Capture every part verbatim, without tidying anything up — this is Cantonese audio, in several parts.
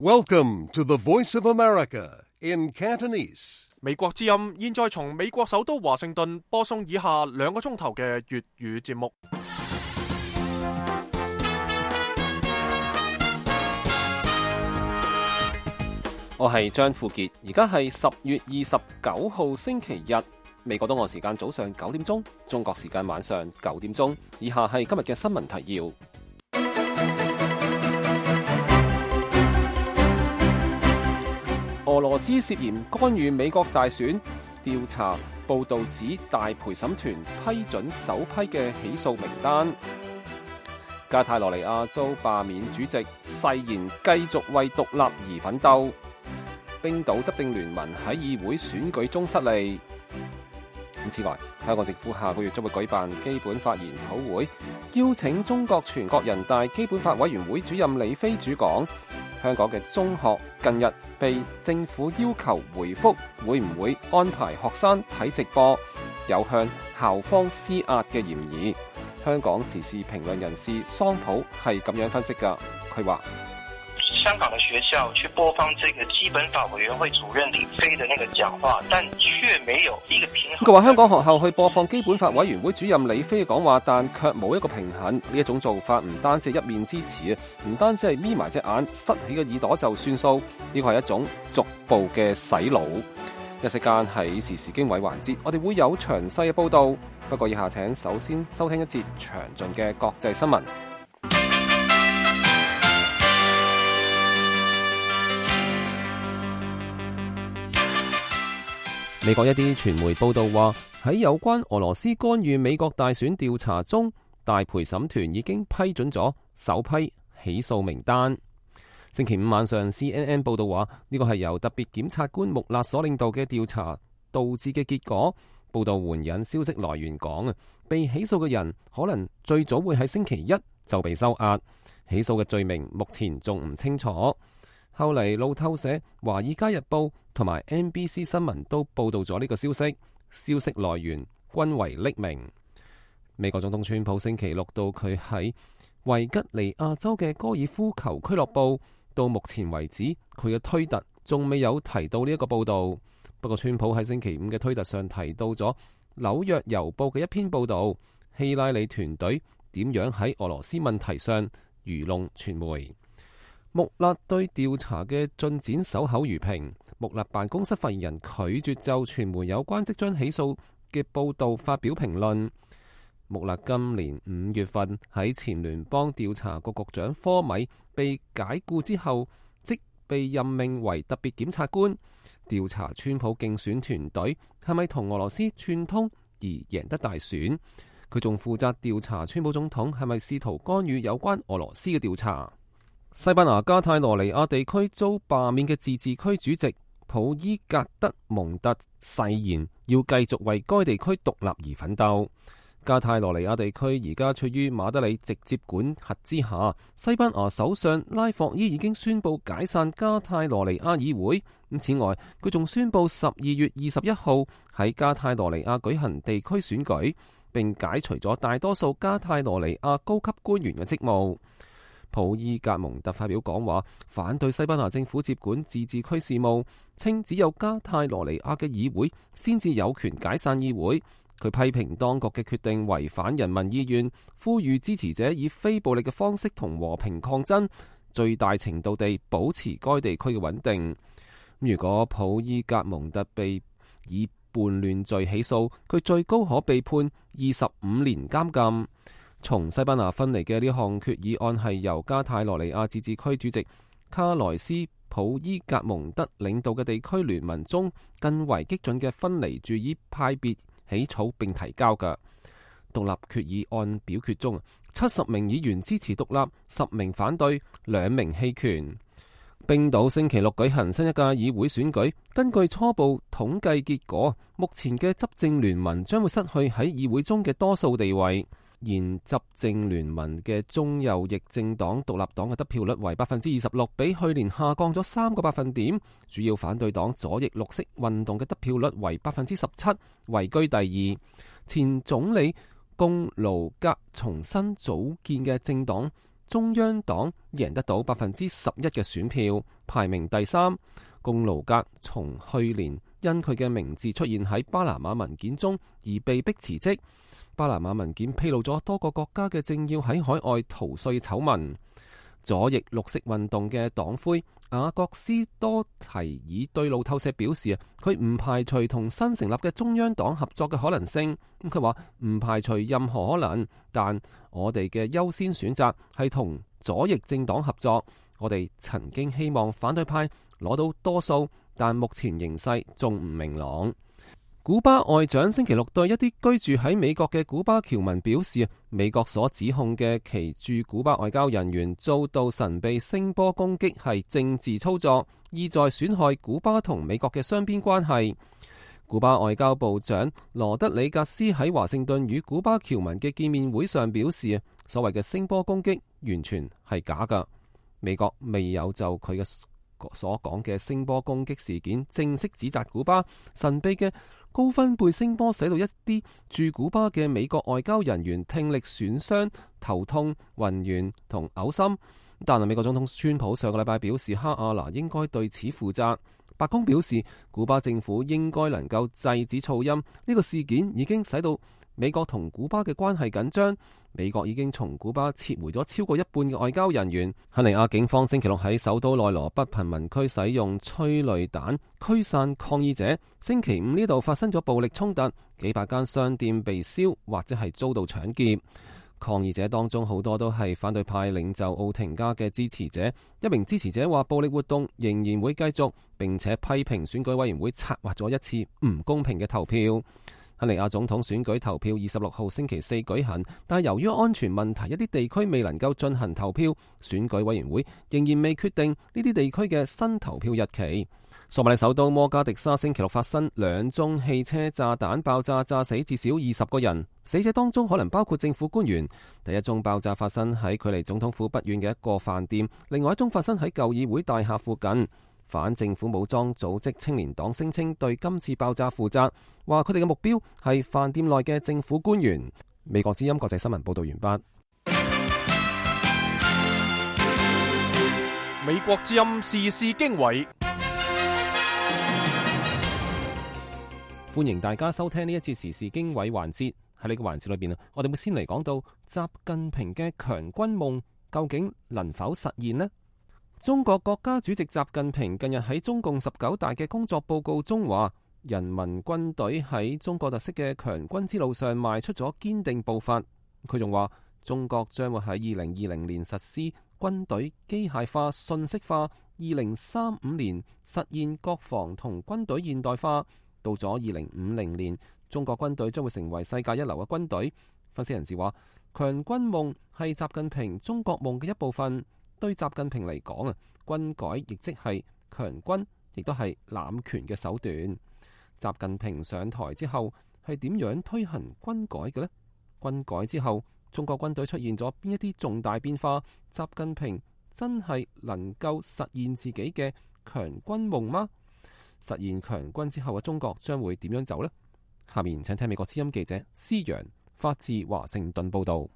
Welcome to the Voice of America in Cantonese. 美國之音現在從美國首都華盛頓播送以下兩個鐘頭嘅粵語節目。我係張富傑，而家係十月二十九號星期日，美國東岸時間早上九點鐘，中國時間晚上九點鐘。以下係今日嘅新聞提要。俄羅斯涉嫌干預美國大選，調查報道指大陪審團批准首批嘅起訴名單。加泰羅尼亞遭罷免主席，誓言繼續為獨立而奮鬥。冰島執政聯盟喺議會選舉中失利。此外，香港政府下個月將會舉辦基本法研討會，邀請中國全國人大基本法委員會主任李飛主講。香港嘅中學近日被政府要求回覆會唔會安排學生睇直播，有向校方施壓嘅嫌疑。香港時事評論人士桑普係咁樣分析㗎，佢話：香港的學校去播放這個基本法委員會主任李飛的那個講話，但卻沒有一個平衡。佢話香港學校去播放基本法委員會主任李飛嘅講話，但卻冇一個平衡。呢一種做法唔單止係一面之詞啊，唔單止係眯埋隻眼、塞起個耳朵就算數。呢個係一種逐步嘅洗腦。一息間喺時事經緯環節，我哋會有詳細嘅報導。不過以下請首先收聽一節詳盡嘅國際新聞。美國一啲傳媒報道話，喺有關俄羅斯干預美國大選調查中，大陪審團已經批准咗首批起訴名單。星期五晚上 C N N 報道話，呢個係由特別檢察官穆勒所領導嘅調查導致嘅結果。報道援引消息來源講啊，被起訴嘅人可能最早會喺星期一就被收押，起訴嘅罪名目前仲唔清楚。後嚟路透社、華爾街日報同埋 N B C 新聞都報道咗呢個消息，消息來源均為匿名。美國總統川普星期六到佢喺維吉尼亞州嘅高爾夫球俱樂部，到目前為止佢嘅推特仲未有提到呢一個報道。不過川普喺星期五嘅推特上提到咗紐約郵報嘅一篇報道，希拉里團隊點樣喺俄羅斯問題上愚弄傳媒。穆勒對調查嘅進展守口如瓶。穆勒辦公室發言人拒絕就傳媒有關即將起訴嘅報道發表評論。穆勒今年五月份喺前聯邦調查局局長科米被解雇之後，即被任命為特別檢察官，調查川普競選團隊係咪同俄羅斯串通而贏得大選。佢仲負責調查川普總統係咪試圖干預有關俄羅斯嘅調查。西班牙加泰羅尼亞地區遭罷免嘅自治區主席普伊格德蒙特誓言要繼續為該地區獨立而奮鬥。加泰羅尼亞地區而家處於馬德里直接管轄之下。西班牙首相拉霍伊已經宣布解散加泰羅尼亞議會。咁此外，佢仲宣布十二月二十一號喺加泰羅尼亞舉行地區選舉，並解除咗大多數加泰羅尼亞高級官員嘅職務。普伊格蒙特發表講話，反對西班牙政府接管自治區事務，稱只有加泰羅尼亞嘅議會先至有權解散議會。佢批評當局嘅決定違反人民意願，呼籲支持者以非暴力嘅方式同和平抗爭，最大程度地保持該地區嘅穩定。如果普伊格蒙特被以叛亂罪起訴，佢最高可被判二十五年監禁。從西班牙分離嘅呢項決議案係由加泰羅尼亞自治區主席卡萊斯普伊格蒙德領導嘅地區聯盟中更為激進嘅分離主義派別起草並提交嘅獨立決議案表決中，七十名議員支持獨立，十名反對，兩名棄權。冰島星期六舉行新一屆議會選舉，根據初步統計結果，目前嘅執政聯盟將會失去喺議會中嘅多數地位。現執政聯盟嘅中右翼政黨獨立黨嘅得票率為百分之二十六，比去年下降咗三個百分點。主要反對黨左翼綠色運動嘅得票率為百分之十七，位居第二。前總理貢盧格重新組建嘅政黨中央黨贏得到百分之十一嘅選票，排名第三。貢盧格從去年因佢嘅名字出現喺巴拿馬文件中而被迫辭職。巴拿馬文件披露咗多個國家嘅政要喺海外逃稅醜聞。左翼綠色運動嘅黨魁雅各斯多提爾對路透社表示啊，佢唔排除同新成立嘅中央黨合作嘅可能性。咁佢話唔排除任何可能，但我哋嘅優先選擇係同左翼政黨合作。我哋曾經希望反對派攞到多數，但目前形勢仲唔明朗。古巴外長星期六對一啲居住喺美國嘅古巴僑民表示，美國所指控嘅其駐古巴外交人員遭到神秘聲波攻擊係政治操作，意在損害古巴同美國嘅雙邊關係。古巴外交部長羅德里格斯喺華盛頓與古巴僑民嘅見面會上表示，所謂嘅聲波攻擊完全係假㗎。美國未有就佢嘅所講嘅聲波攻擊事件正式指責古巴。神秘嘅高分貝聲波使到一啲駐古巴嘅美國外交人員聽力損傷、頭痛、暈眩同嘔心。但係美國總統川普上個禮拜表示，哈亞拿應該對此負責。白宮表示，古巴政府應該能夠制止噪音。呢個事件已經使到美國同古巴嘅關係緊張。美國已經從古巴撤回咗超過一半嘅外交人員。肯尼亞警方星期六喺首都內羅畢貧民區使用催淚彈驅散抗議者。星期五呢度發生咗暴力衝突，幾百間商店被燒或者係遭到搶劫。抗議者當中好多都係反對派領袖奧廷加嘅支持者。一名支持者話暴力活動仍然會繼續，並且批評選舉委員會策劃咗一次唔公平嘅投票。肯尼亞總統選舉投票二十六號星期四舉行，但係由於安全問題，一啲地區未能夠進行投票。選舉委員會仍然未決定呢啲地區嘅新投票日期。索馬里首都摩加迪沙星期六發生兩宗汽車炸彈爆炸，炸死至少二十個人，死者當中可能包括政府官員。第一宗爆炸發生喺距離總統府不遠嘅一個飯店，另外一宗發生喺舊議會大廈附近。反政府武裝組織青年黨聲稱對今次爆炸負責，話佢哋嘅目標係飯店內嘅政府官員。美國之音國際新聞報道完畢。美國之音時事經緯，歡迎大家收聽呢一次時事經緯環節。喺呢個環節裏邊啊，我哋會先嚟講到習近平嘅強軍夢究竟能否實現呢？中國國家主席習近平近日喺中共十九大嘅工作報告中話，人民軍隊喺中國特色嘅強軍之路上邁出咗堅定步伐。佢仲話，中國將會喺二零二零年實施軍隊機械化、信息化，二零三五年實現國防同軍隊現代化。到咗二零五零年，中國軍隊將會成為世界一流嘅軍隊。分析人士話，強軍夢係習近平中國夢嘅一部分。對習近平嚟講啊，軍改亦即係強軍，亦都係攬權嘅手段。習近平上台之後係點樣推行軍改嘅呢？軍改之後，中國軍隊出現咗邊一啲重大變化？習近平真係能夠實現自己嘅強軍夢嗎？實現強軍之後嘅中國將會點樣走呢？下面請聽美國之音記者施陽發自華盛頓報道。二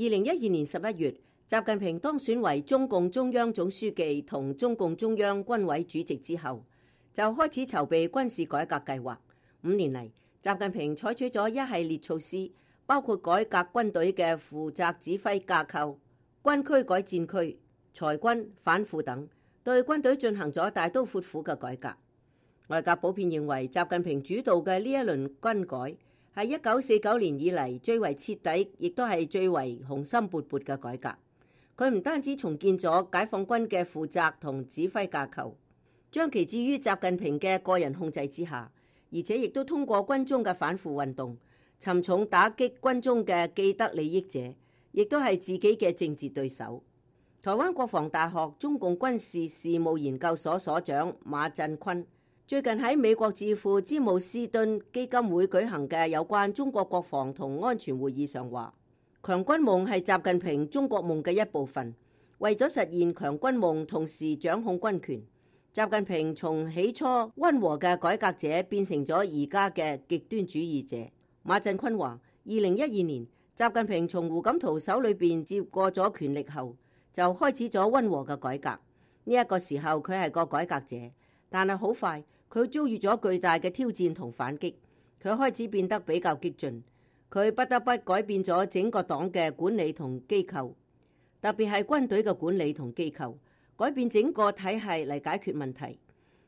零一二年十一月，習近平當選為中共中央總書記同中共中央軍委主席之後，就開始籌備軍事改革計劃。五年嚟，習近平採取咗一系列措施，包括改革軍隊嘅負責指揮架構、軍區改戰區、裁軍反腐等，對軍隊進行咗大刀闊斧嘅改革。外界普遍認為，習近平主導嘅呢一輪軍改係一九四九年以嚟最為徹底，亦都係最為雄心勃勃嘅改革。佢唔單止重建咗解放軍嘅負責同指揮架構，將其置於習近平嘅個人控制之下，而且亦都通過軍中嘅反腐運動，沉重打擊軍中嘅既得利益者，亦都係自己嘅政治對手。台灣國防大學中共軍事事務研究所所長馬振坤最近喺美國智庫詹姆斯敦基金會舉行嘅有關中國國防同安全會議上話，強軍夢係習近平中國夢嘅一部分，為咗實現強軍夢，同時掌控軍權，習近平從起初溫和嘅改革者變成咗而家嘅極端主義者。馬振坤話，二零一二年習近平從胡錦濤手裏邊接過咗權力後，就開始咗溫和嘅改革，呢一個時候佢係個改革者，但係好快佢遭遇咗巨大嘅挑戰同反擊，佢開始變得比較激進，佢不得不改變咗整個黨嘅管理同機構，特別係軍隊嘅管理同機構，改變整個體系嚟解決問題。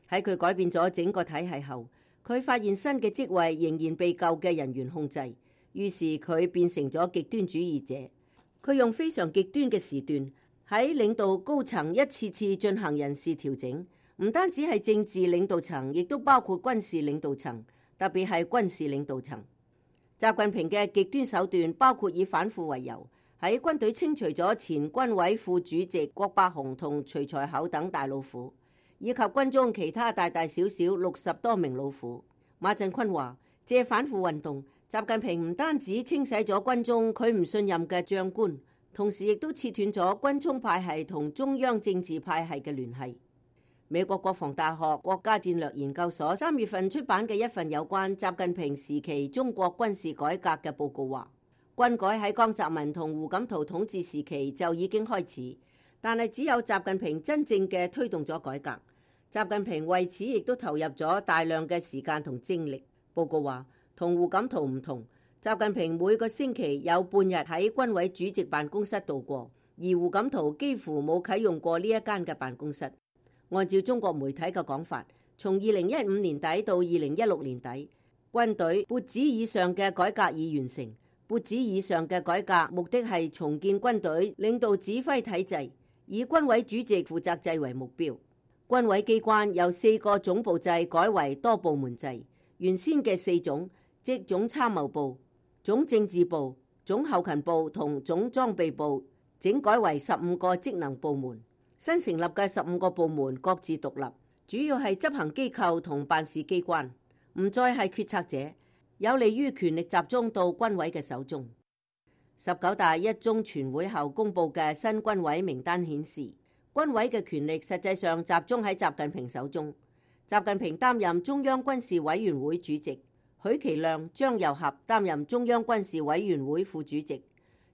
喺佢改變咗整個體系後，佢發現新嘅職位仍然被舊嘅人員控制，於是佢變成咗極端主義者。佢用非常極端嘅時段喺領導高層一次次進行人事調整，唔單止係政治領導層，亦都包括軍事領導層，特別係軍事領導層。習近平嘅極端手段包括以反腐為由，喺軍隊清除咗前軍委副主席郭伯雄同徐才厚等大老虎，以及軍中其他大大小小六十多名老虎。馬振坤話：借反腐運動，習近平唔單止清洗咗軍中佢唔信任嘅將官，同時亦都切斷咗軍衝派系同中央政治派系嘅聯繫。美國國防大學國家戰略研究所三月份出版嘅一份有關習近平時期中國軍事改革嘅報告話，軍改喺江澤民同胡錦濤統治時期就已經開始，但係只有習近平真正嘅推動咗改革。習近平為此亦都投入咗大量嘅時間同精力。報告話，同胡錦濤唔同，習近平每個星期有半日喺軍委主席辦公室度過，而胡錦濤幾乎冇啟用過呢一間嘅辦公室。按照中國媒體嘅講法，從二零一五年底到二零一六年底，軍隊撥子以上嘅改革已完成。撥子以上嘅改革目的係重建軍隊領導指揮體制，以軍委主席負責制為目標。軍委機關由四個總部制改為多部門制，原先嘅四總，即總參謀部、總政治部、總後勤部同總裝備部，整改為十五個職能部門。新成立嘅十五個部門各自獨立，主要係執行機構同辦事機關，唔再係決策者，有利於權力集中到軍委嘅手中。十九大一中全會後公布嘅新軍委名單顯示，軍委嘅權力實際上集中喺習近平手中。習近平擔任中央軍事委員會主席，許其亮、張又俠擔任中央軍事委員會副主席。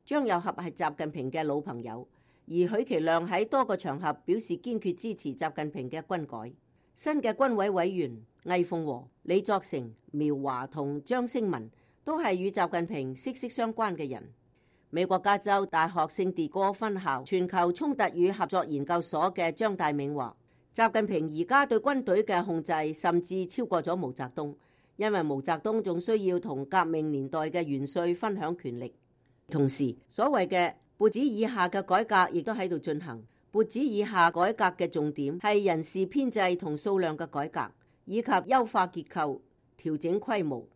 張又俠係習近平嘅老朋友，而許其亮喺多個場合表示堅決支持習近平嘅軍改。新嘅軍委委員魏鳳和、李作成、苗華同張星文都係與習近平息息相關嘅人。美國加州大學聖地哥分校全球衝突與合作研究所嘅張大銘話，習近平而家對軍隊嘅控制甚至超過咗毛澤東，因為毛澤東仲需要同革命年代嘅元帥分享權力。同時，所謂嘅撥子以下嘅改革亦都喺度進行。撥子以下改革嘅重點係人事編制同數量嘅改革，以及優化結構、調整規模。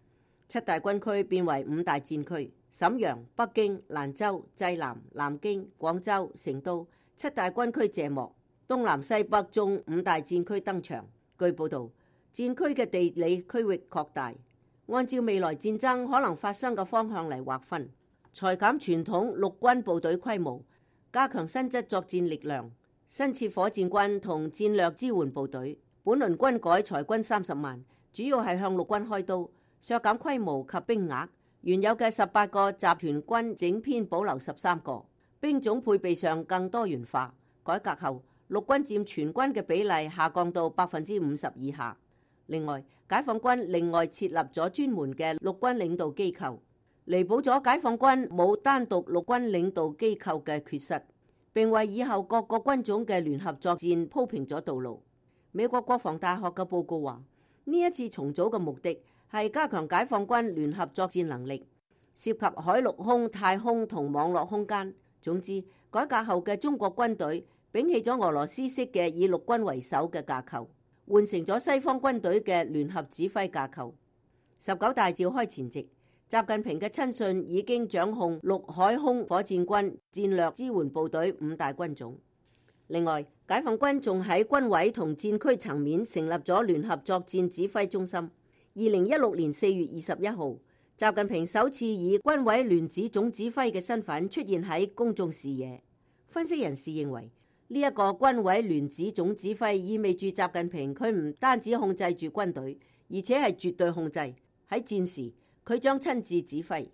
七大軍區變為五大戰區，瀋陽、北京、蘭州、濟南、南京、廣州、成都七大軍區謝幕，東南西北中五大戰區登場。據報導，戰區嘅地理區域擴大，按照未來戰爭可能發生嘅方向嚟劃分，裁減傳統陸軍部隊規模，加強新質作戰力量，新設火箭軍同戰略支援部隊。本輪軍改裁軍三十萬，主要係向陸軍開刀，削減規模及兵額。原有嘅十八個集團軍整編保留十三個，兵種配備上更多元化。改革後，陸軍佔全軍嘅比例下降到百分之五十以下。另外，解放軍另外設立咗專門嘅陸軍領導機構，彌補咗解放軍冇單獨陸軍領導機構嘅缺失，並為以後各個軍種嘅聯合作戰鋪平咗道路。美國國防大學嘅報告話，呢一次重組嘅目的係加強解放軍聯合作戰能力，涉及海陸空、太空同網絡空間。總之，改革後嘅中國軍隊摒棄咗俄羅斯式嘅以陸軍為首嘅架構，換成咗西方軍隊嘅聯合指揮架構。十九大召開前夕，習近平嘅親信已經掌控陸海空火箭軍、戰略支援部隊五大軍種。另外，解放軍仲喺軍委同戰區層面成立咗聯合作戰指揮中心。二零一六年四月二十一號，習近平首次以軍委聯指總指揮嘅身份出現喺公眾視野。分析人士認為，呢一個軍委聯指總指揮意味住習近平佢唔單止控制住軍隊，而且係絕對控制。喺戰時，佢將親自指揮。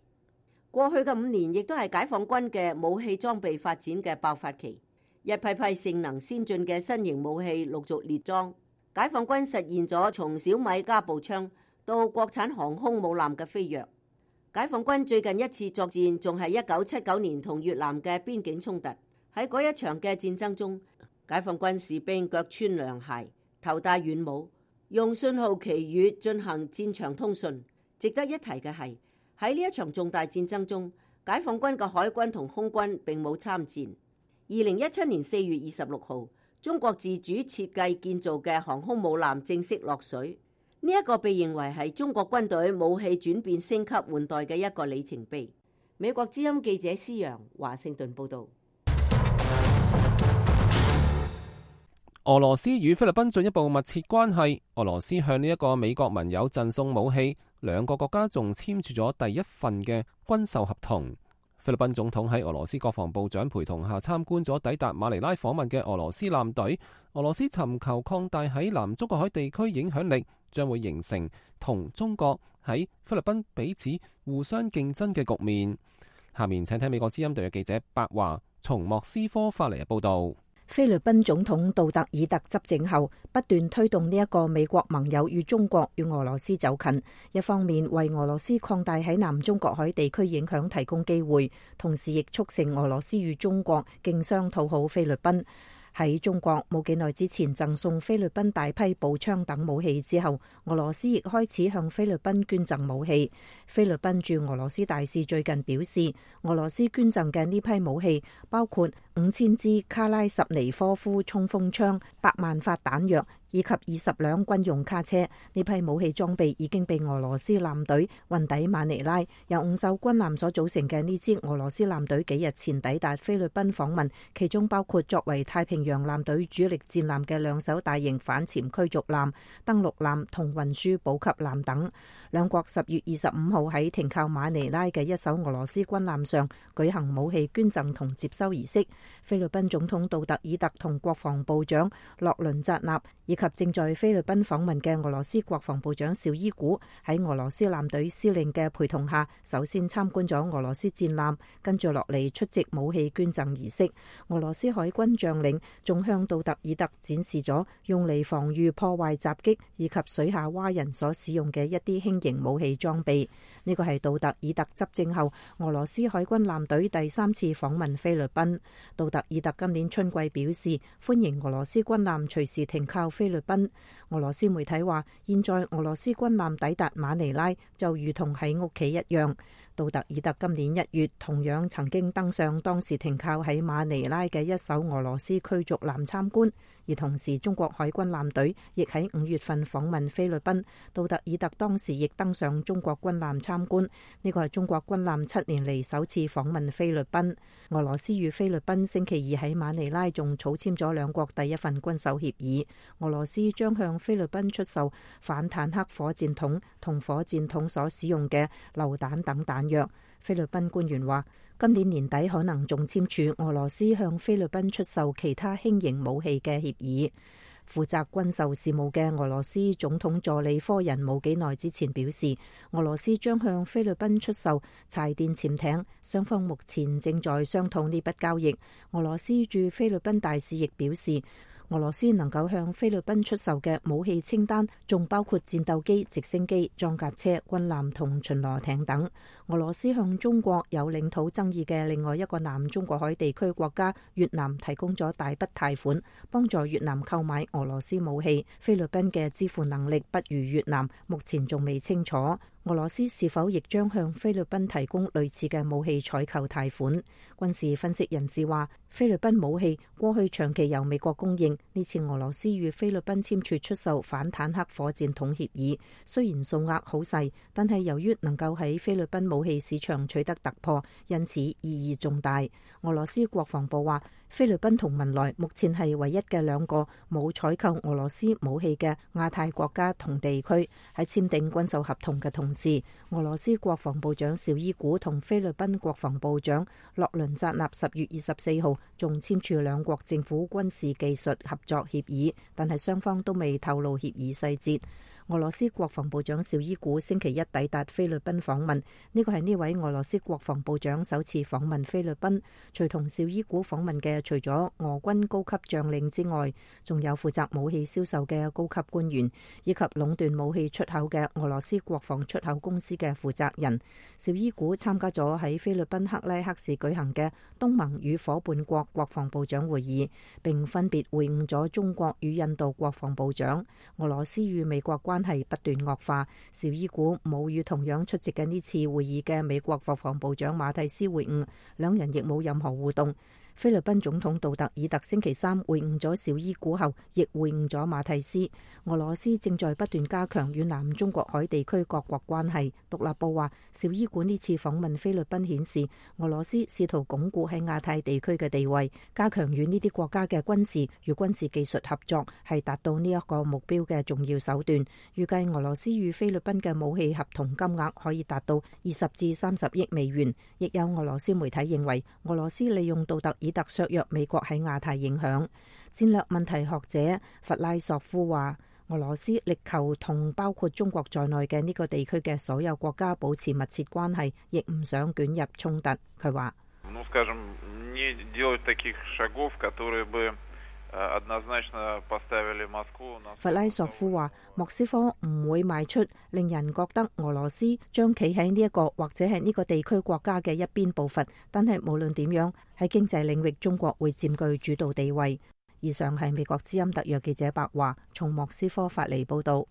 過去嘅五年亦都係解放軍嘅武器裝備發展嘅爆發期。一批批性能先進嘅新型武器陸續列裝，解放軍實現咗從小米加步槍到國產航空母艦嘅飛躍。解放軍最近一次作戰仲係一九七九年同越南嘅邊境衝突。喺嗰一場嘅戰爭中，解放軍士兵腳穿涼鞋，頭戴軟帽，用信號旗語進行戰場通訊。值得一提嘅係，喺呢一場重大戰爭中，解放軍嘅海軍同空軍並冇參戰。二零一七年四月二十六號，中國自主設計建造嘅航空母艦正式落水。呢一個被認為係中國軍隊武器轉變升級換代嘅一個里程碑。美國之音記者施陽華盛頓報道。俄羅斯與菲律賓進一步密切關係，俄羅斯向呢一個美國盟友贈送武器，兩個國家仲簽署咗第一份嘅軍售合同。菲律賓總統喺俄羅斯國防部長陪同下參觀咗抵達馬尼拉訪問嘅俄羅斯艦隊。俄羅斯尋求擴大喺南中國海地區影響力，將會形成同中國喺菲律賓彼此互相競爭嘅局面。下面請聽美國之音特約記者白華從莫斯科發嚟嘅報道。菲律賓總統杜特爾特執政後，不斷推動呢一個美國盟友與中國與俄羅斯走近，一方面為俄羅斯擴大喺南中國海地區影響提供機會，同時亦促成俄羅斯與中國競相討好菲律賓。喺中國冇幾耐之前贈送菲律賓大批步槍等武器之後，俄羅斯亦開始向菲律賓捐贈武器。菲律賓駐俄羅斯大使最近表示，俄羅斯捐贈嘅呢批武器包括五千支卡拉什尼科夫衝鋒槍、百萬發彈藥以及二十輛軍用卡車。呢批武器裝備已經被俄羅斯艦隊運抵馬尼拉。由五艘軍艦所組成嘅呢支俄羅斯艦隊幾日前抵達菲律賓訪問，其中包括作為太平洋艦隊主力戰艦嘅兩艘大型反潛驅逐艦、登陸艦同運輸補給艦等。兩國十月二十五號喺停靠馬尼拉嘅一艘俄羅斯軍艦上舉行武器捐贈同接收儀式。菲律賓總統杜特爾特同國防部長洛倫扎納以及正在菲律賓訪問嘅俄羅斯國防部長紹伊古喺俄羅斯艦隊司令嘅陪同下，首先參觀咗俄羅斯戰艦，跟住落嚟出席武器捐贈儀式。俄羅斯海軍將領仲向杜特爾特展示咗用嚟防禦破壞襲擊以及水下蛙人所使用嘅一啲輕型武器裝備。呢個係杜特爾特執政後俄羅斯海軍艦隊第三次訪問菲律賓。杜特爾特今年春季表示歡迎俄羅斯軍艦隨時停靠菲律賓。俄羅斯媒體話，現在俄羅斯軍艦抵達馬尼拉就如同喺屋企一樣。杜特爾特今年一月同樣曾經登上當時停靠喺馬尼拉嘅一艘俄羅斯驅逐艦參觀，而同時中國海軍艦隊亦喺五月份訪問菲律賓。杜特爾特當時亦登上中國軍艦參觀，呢個係中國軍艦七年嚟首次訪問菲律賓。俄羅斯與菲律賓星期二喺馬尼拉仲草簽咗兩國第一份軍售協議，俄羅斯將向菲律賓出售反坦克火箭筒同火箭筒所使用嘅榴彈等彈藥。菲律賓官員話，今年年底可能仲簽署俄羅斯向菲律賓出售其他輕型武器嘅協議。負責軍售事務嘅俄羅斯總統助理科人冇幾耐之前表示，俄羅斯將向菲律賓出售柴電潛艇，雙方目前正在商討呢筆交易。俄羅斯駐菲律賓大使亦表示，俄羅斯能夠向菲律賓出售嘅武器清單仲包括戰鬥機、直升機、裝甲車、軍艦同巡邏艇等。俄羅斯向中國有領土爭議嘅另外一個南中國海地區國家越南提供咗大筆貸款，幫助越南購買俄羅斯武器。菲律賓嘅支付能力不如越南，目前仲未清楚。俄羅斯是否亦將向菲律賓提供類似嘅武器採購貸款？軍事分析人士話，菲律賓武器過去長期由美國供應，呢次俄羅斯與菲律賓簽署出售反坦克火箭筒協議，雖然數額好細，但係由於能夠喺菲律賓武器市場取得突破，因此意義重大。俄羅斯國防部話，菲律賓同文萊目前係唯一嘅兩個冇採購俄羅斯武器嘅亞太國家同地區。喺簽訂軍售合同嘅同時，俄羅斯國防部長紹伊古同菲律賓國防部長洛倫扎納十月二十四號仲簽署兩國政府軍事技術合作協議，但係雙方都未透露協議細節。俄羅斯國防部長紹伊古星期一抵達菲律賓訪問，呢個係呢位俄羅斯國防部長首次訪問菲律賓。隨同紹伊古訪問嘅，除咗俄軍高級將領之外，仲有負責武器銷售嘅高級官員，以及壟斷武器出口嘅俄羅斯國防出口公司嘅負責人。紹伊古參加咗喺菲律賓克拉克市舉行嘅東盟與夥伴國國防部長會議，並分別會晤咗中國與印度國防部長。俄羅斯與美國關係不斷惡化，紹伊古冇與同樣出席嘅呢次會議嘅美國國防部長馬蒂斯會晤，兩人亦冇任何互動。菲律賓總統杜特爾特星期三會晤咗紹伊古後，亦會晤咗馬蒂斯。俄羅斯正在不斷加強與南中國海地區各國關係。獨立報話，紹伊古呢次訪問菲律賓顯示，俄羅斯試圖鞏固喺亞太地區嘅地位，加強與呢啲國家嘅軍事與軍事技術合作，係達到呢一個目標嘅重要手段。預計俄羅斯與菲律賓嘅武器合同金額可以達到二十至三十億美元。亦有俄羅斯媒體認為，俄羅斯利用杜特爾特削弱美國喺亞太影響。戰略問題學者弗拉索夫話，俄羅斯力求同包括中國在內嘅呢個地區嘅所有國家保持密切關係，亦唔想捲入衝突。佢話，弗拉索夫話，莫斯科唔會邁出令人覺得俄羅斯將企喺呢一個或者係呢個地區國家嘅一邊步伐，但係無論點樣，喺經濟領域中國會佔據主導地位。以上係美國之音特約記者白華從莫斯科發嚟報道。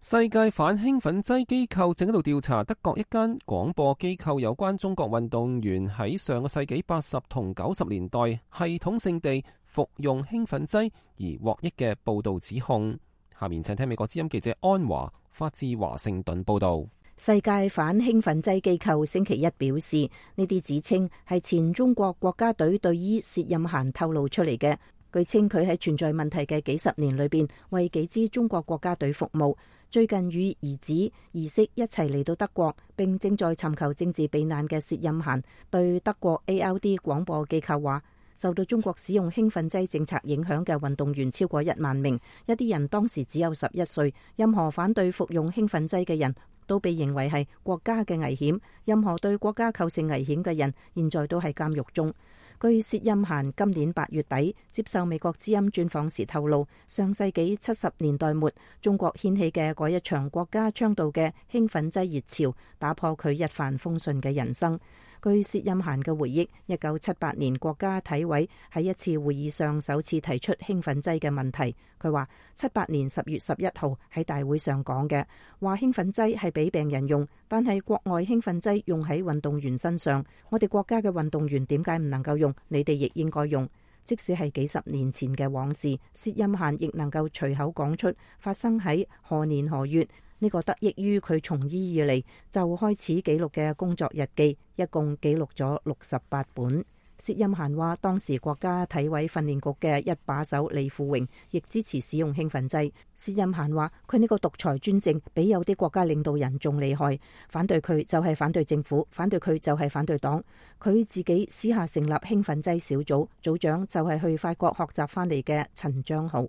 世界反興奮劑機構正喺度調查德國一間廣播機構有關中國運動員喺上個世紀八十同九十年代系統性地服用興奮劑而獲益嘅報道指控。下面請聽美國之音記者安華發自華盛頓報道。世界反興奮劑機構星期一表示，呢啲指稱係前中國國家隊隊醫薛任嫻透露出嚟嘅。據稱佢喺存在問題嘅幾十年裏邊，為幾支中國國家隊服務。最近與兒子兒媳一齊嚟到德國，並正在尋求政治避難嘅薛任嫻對德國 A L D 廣播機構話，受到中國使用興奮劑政策影響嘅運動員超過一萬名，一啲人當時只有十一歲。任何反對服用興奮劑嘅人都被認為係國家嘅危險，任何對國家構成危險嘅人現在都喺監獄中。據薛任嫻今年八月底接受美國之音專訪時透露，上世紀七十年代末中國掀起嘅嗰一場國家倡導嘅興奮劑熱潮，打破佢一帆風順嘅人生。據薛任嫻嘅回憶，一九七八年國家體委喺一次會議上首次提出興奮劑嘅問題。佢話七八年十月十一號喺大會上講嘅，話興奮劑係俾病人用，但係國外興奮劑用喺運動員身上，我哋國家嘅運動員點解唔能夠用？你哋亦應該用。即使係幾十年前嘅往事，薛任嫻亦能夠隨口講出發生喺何年何月。呢個得益於佢從醫以嚟就開始記錄嘅工作日記，一共記錄咗六十八本。薛任嫻話，當時國家體委訓練局嘅一把手李富榮亦支持使用興奮劑。薛任嫻話，佢呢個獨裁專政比有啲國家領導人仲厲害，反對佢就係反對政府，反對佢就係反對黨。佢自己私下成立興奮劑小組，組長就係去法國學習翻嚟嘅陳章豪。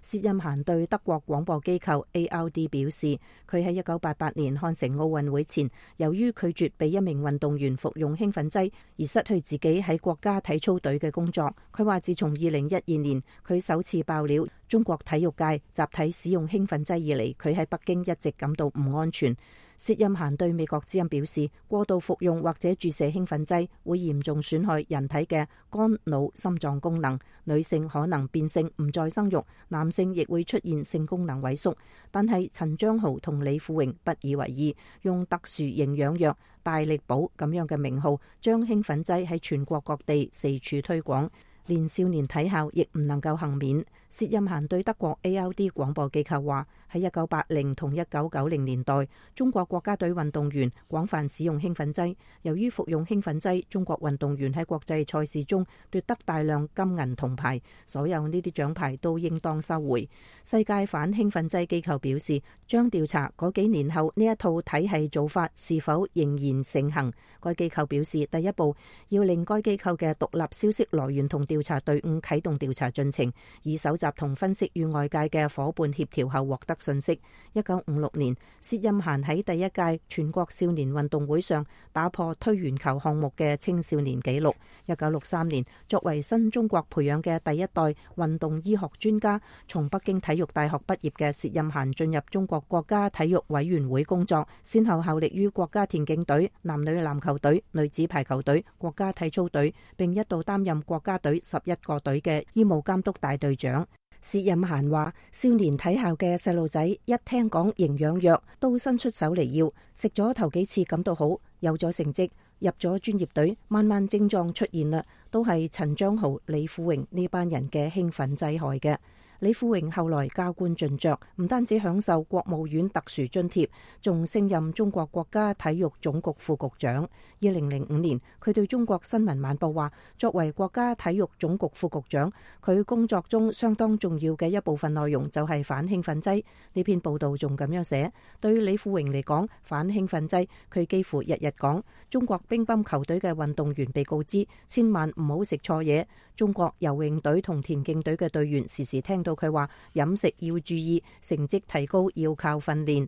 薛任嫻對德國廣播機構 A R D 表示，佢喺一九八八年漢城奧運會前，由於拒絕俾一名運動員服用興奮劑，而失去自己喺國家體操隊嘅工作。佢話自從二零一二年佢首次爆料中國體育界集體使用興奮劑以嚟，佢喺北京一直感到唔安全。薛任嫻對美國之音表示，過度服用或者注射興奮劑會嚴重損害人體嘅肝、腦、心臟功能，女性可能變性唔再生育，男性亦會出現性功能萎縮。但係陳章豪同李富榮不以為意，用特殊營養藥大力寶咁樣嘅名號，將興奮劑喺全國各地四處推廣，連少年體校亦唔能夠幸免。薛任嫻對德國 A L D 廣播機構話，喺一九八零同一九九零年代，中國國家隊運動員廣泛使用興奮劑。由於服用興奮劑，中國運動員喺國際賽事中奪得大量金銀銅牌，所有呢啲獎牌都應當收回。世界反興奮劑機構表示，將調查嗰幾年後呢一套體系做法是否仍然盛行。該機構表示，第一步要令該機構嘅獨立消息來源同調查隊伍啟動調查進程，以搜集同分析與外界嘅伙伴協調後獲得信息。一九五六年，薛欽嫻喺第一屆全國少年運動會上打破推圓球項目嘅青少年紀錄。一九六三年，作為新中國培養嘅第一代運動醫學專家，從北京體育大學畢業嘅薛欽嫻進入中國國家體育委員會工作，先後效力於國家田徑隊、男女籃球隊、女子排球隊、國家體操隊，並一度擔任國家隊十一個隊嘅醫務監督大隊長。薛欽嫻話：少年體校嘅細路仔一聽講營養藥，都伸出手嚟要，食咗頭幾次感到好，有咗成績，入咗專業隊，慢慢症狀出現啦，都係陳章豪、李富榮呢班人嘅興奮劑害嘅。李富榮後來加官進爵，唔單止享受國務院特殊津貼，仲升任中國國家體育總局副局長。二零零五年，佢對中國新聞晚報話：作為國家體育總局副局長，佢工作中相當重要嘅一部分內容就係反興奮劑。呢篇報道仲咁樣寫：對於李富榮嚟講，反興奮劑，佢幾乎日日講。中國乒乓球隊嘅運動員被告知千萬唔好食錯嘢。中國游泳隊同田徑隊嘅隊員時時聽到佢話飲食要注意，成績提高要靠訓練。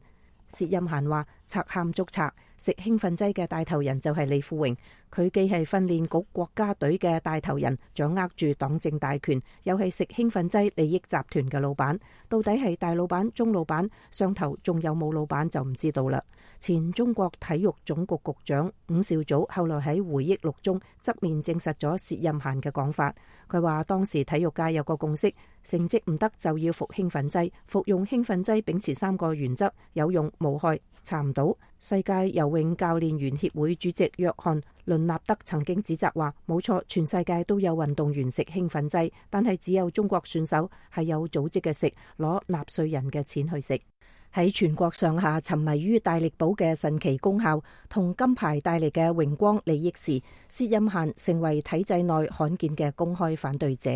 薛欽嫻話：賊喊捉賊，食興奮劑嘅帶頭人就係李富榮。佢既係訓練局國家隊嘅帶頭人，掌握住黨政大權，又係食興奮劑利益集團嘅老闆。到底係大老闆、中老闆，上頭仲有冇老闆就唔知道啦。前中國體育總局局長伍紹祖後來喺回憶錄中側面證實咗薛欽嫻嘅講法。佢話當時體育界有個共識，成績唔得就要服興奮劑，服用興奮劑秉持三個原則：有用、無害、查唔到。世界游泳教練員協會主席約翰倫納德曾經指責話：冇錯，全世界都有運動員食興奮劑，但係只有中國選手係有組織嘅食，攞納稅人嘅錢去食。喺全國上下沉迷於大力寶嘅神奇功效同金牌帶嚟嘅榮光利益時，薛欽嫻成為體制內罕見嘅公開反對者。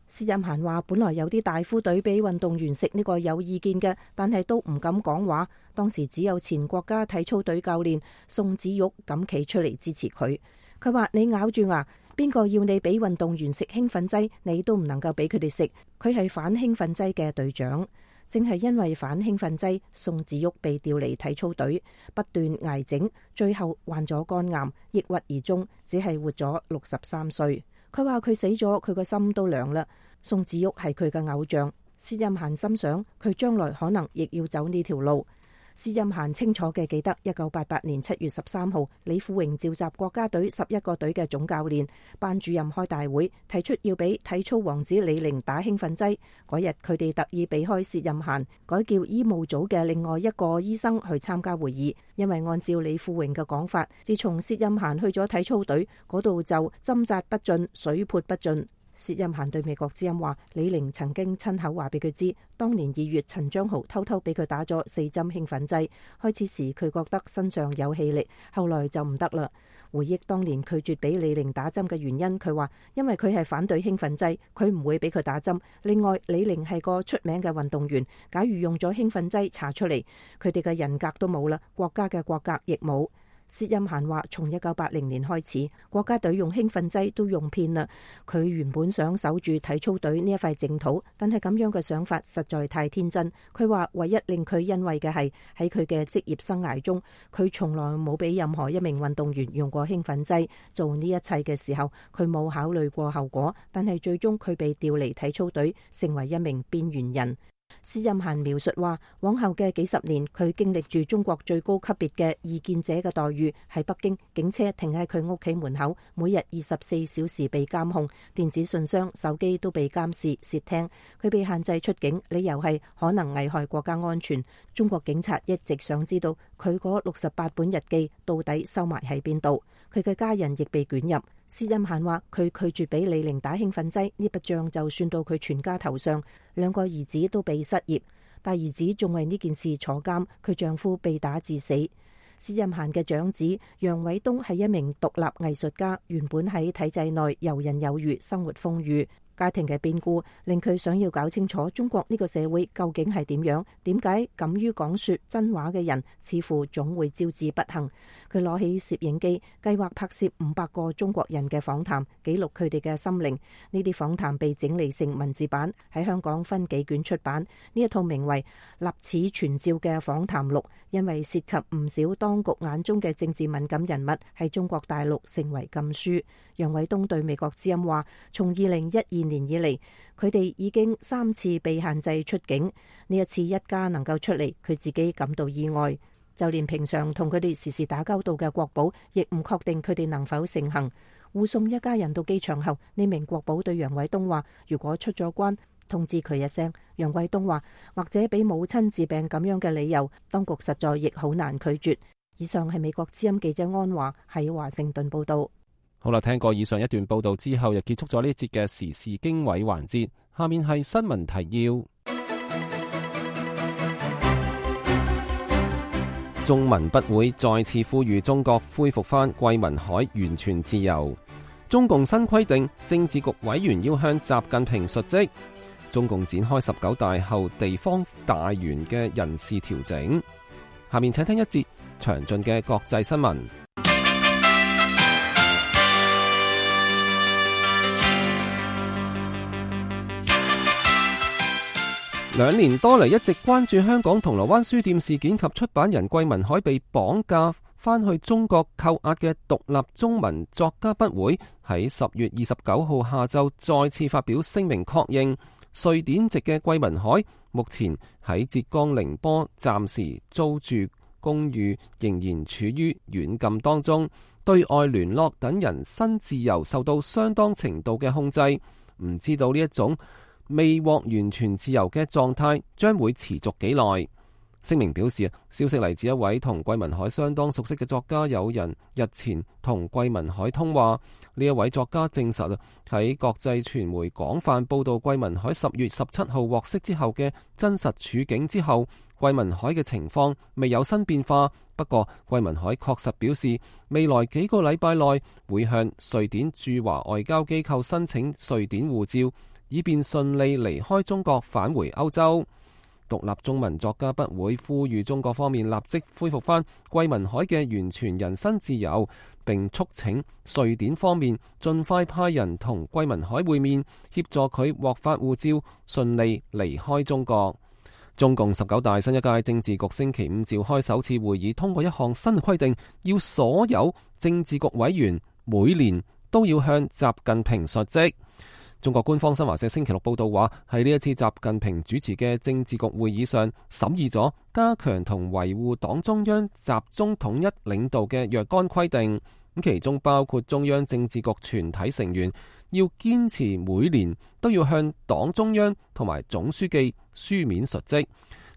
薛欽嫻話：本來有啲大夫隊俾運動員食呢個有意見嘅，但係都唔敢講話。當時只有前國家體操隊教練宋子玉敢企出嚟支持佢。佢話：你咬住牙，邊個要你俾運動員食興奮劑，你都唔能夠俾佢哋食。佢係反興奮劑嘅隊長。正係因為反興奮劑，宋子玉被調離體操隊，不斷挨整，最後患咗肝癌，抑鬱而終，只係活咗六十三歲。佢話佢死咗，佢個心都涼啦。宋子玉係佢嘅偶像，薛欽嫻心想佢將來可能亦要走呢條路。薛欽嫻清楚嘅記得，一九八八年七月十三號，李富榮召集國家隊十一個隊嘅總教練、班主任開大會，提出要俾體操王子李寧打興奮劑。嗰日佢哋特意避開薛欽嫻，改叫醫務組嘅另外一個醫生去參加會議，因為按照李富榮嘅講法，自從薛欽嫻去咗體操隊嗰度就針扎不進，水潑不進。薛欽嫻對美國之音話：李寧曾經親口話俾佢知，當年二月陳章豪偷偷俾佢打咗四針興奮劑。開始時佢覺得身上有氣力，後來就唔得啦。回憶當年拒絕俾李寧打針嘅原因，佢話因為佢係反對興奮劑，佢唔會俾佢打針。另外，李寧係個出名嘅運動員，假如用咗興奮劑查出嚟，佢哋嘅人格都冇啦，國家嘅國格亦冇。薛欽嫻話：從一九八零年開始，國家隊用興奮劑都用遍啦。佢原本想守住體操隊呢一塊淨土，但係咁樣嘅想法實在太天真。佢話唯一令佢欣慰嘅係喺佢嘅職業生涯中，佢從來冇俾任何一名運動員用過興奮劑。做呢一切嘅時候，佢冇考慮過後果，但係最終佢被調離體操隊，成為一名邊緣人。薛欽嫻描述話，往後嘅幾十年，佢經歷住中國最高級別嘅異見者嘅待遇。喺北京，警車停喺佢屋企門口，每日二十四小時被監控，電子信箱、手機都被監視、竊聽。佢被限制出境，理由係可能危害國家安全。中國警察一直想知道佢嗰六十八本日記到底收埋喺邊度。佢嘅家人亦被捲入。薛欽嫻話佢拒絕俾李寧打興奮劑，呢筆賬就算到佢全家頭上。兩個兒子都被失業，大兒子仲為呢件事坐監，佢丈夫被打致死。薛欽嫻嘅長子楊偉東係一名獨立藝術家，原本喺體制內游刃有餘，生活豐裕。家庭嘅變故令佢想要搞清楚中國呢個社會究竟係點樣，點解敢於講說真話嘅人似乎總會招致不幸。佢攞起攝影機，計劃拍攝五百個中國人嘅訪談，記錄佢哋嘅心靈。呢啲訪談被整理成文字版，喺香港分幾卷出版。呢一套名為《立此存照》嘅訪談錄，因為涉及唔少當局眼中嘅政治敏感人物，喺中國大陸成為禁書。楊偉東對美國之音話，從二零一二年以嚟，佢哋已經三次被限制出境。呢一次一家能夠出嚟，佢自己感到意外。就連平常同佢哋時時打交道嘅國保，亦唔確定佢哋能否成行。護送一家人到機場後，呢名國保對楊偉東話，如果出咗關，通知佢一聲。楊偉東話，或者俾母親治病咁樣嘅理由，當局實在亦好難拒絕。以上係美國之音記者安華喺華盛頓報道。好啦，聽過以上一段報道之後，又結束咗呢一節嘅時事經緯環節。下面係新聞提要。中文筆會再次呼籲中國恢復返桂民海完全自由。中共新規定，政治局委員要向習近平述職。中共展開十九大後地方大員嘅人事調整。下面請聽一節詳盡嘅國際新聞。兩年多嚟一直關注香港銅鑼灣書店事件及出版人桂民海被綁架返去中國扣押嘅獨立中文作家筆會，喺十月二十九號下晝再次發表聲明確認，瑞典籍嘅桂民海目前喺浙江寧波暫時租住公寓，仍然處於軟禁當中，對外聯絡等人身自由受到相當程度嘅控制。唔知道呢一種未獲完全自由嘅狀態將會持續幾耐。聲明表示，消息嚟自一位同桂民海相當熟悉嘅作家友人，日前同桂民海通話。呢一位作家證實喺國際傳媒廣泛報道桂民海十月十七號獲釋之後嘅真實處境之後，桂民海嘅情況未有新變化。不過桂民海確實表示，未來幾個禮拜內會向瑞典駐華外交機構申請瑞典護照，以便順利離開中國返回歐洲。獨立中文作家筆會呼籲中國方面立即恢復返桂民海嘅完全人身自由，並促請瑞典方面盡快派人同桂民海會面，協助佢獲發護照，順利離開中國。中共十九大新一屆政治局星期五召開首次會議，通過一項新規定，要所有政治局委員每年都要向習近平述職。中國官方新華社星期六報道話，喺呢一次習近平主持嘅政治局會議上，審議咗加強同維護黨中央集中統一領導嘅若干規定，咁其中包括中央政治局全體成員要堅持每年都要向黨中央同埋總書記書面述職。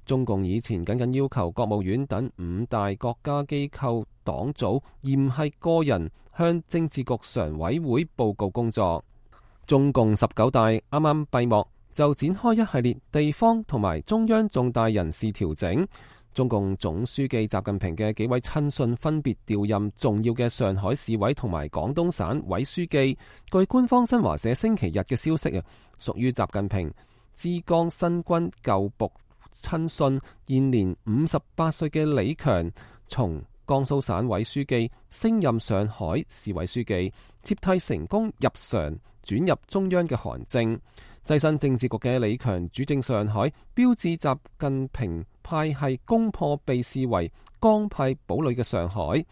中共以前僅僅要求國務院等五大國家機構黨組，而唔係個人向政治局常委會報告工作。中共十九大啱啱閉幕，就展開一系列地方同埋中央重大人事調整。中共總書記習近平嘅幾位親信分別調任重要嘅上海市委同埋廣東省委書記。據官方新華社星期日嘅消息啊，屬於習近平浙江新軍舊部親信現年五十八歲嘅李強，從江蘇省委書記升任上海市委書記，接替成功入常轉入中央嘅韓正。躋身政治局嘅李強主政上海，標誌習近平派系攻破被視為江派堡壘嘅上海。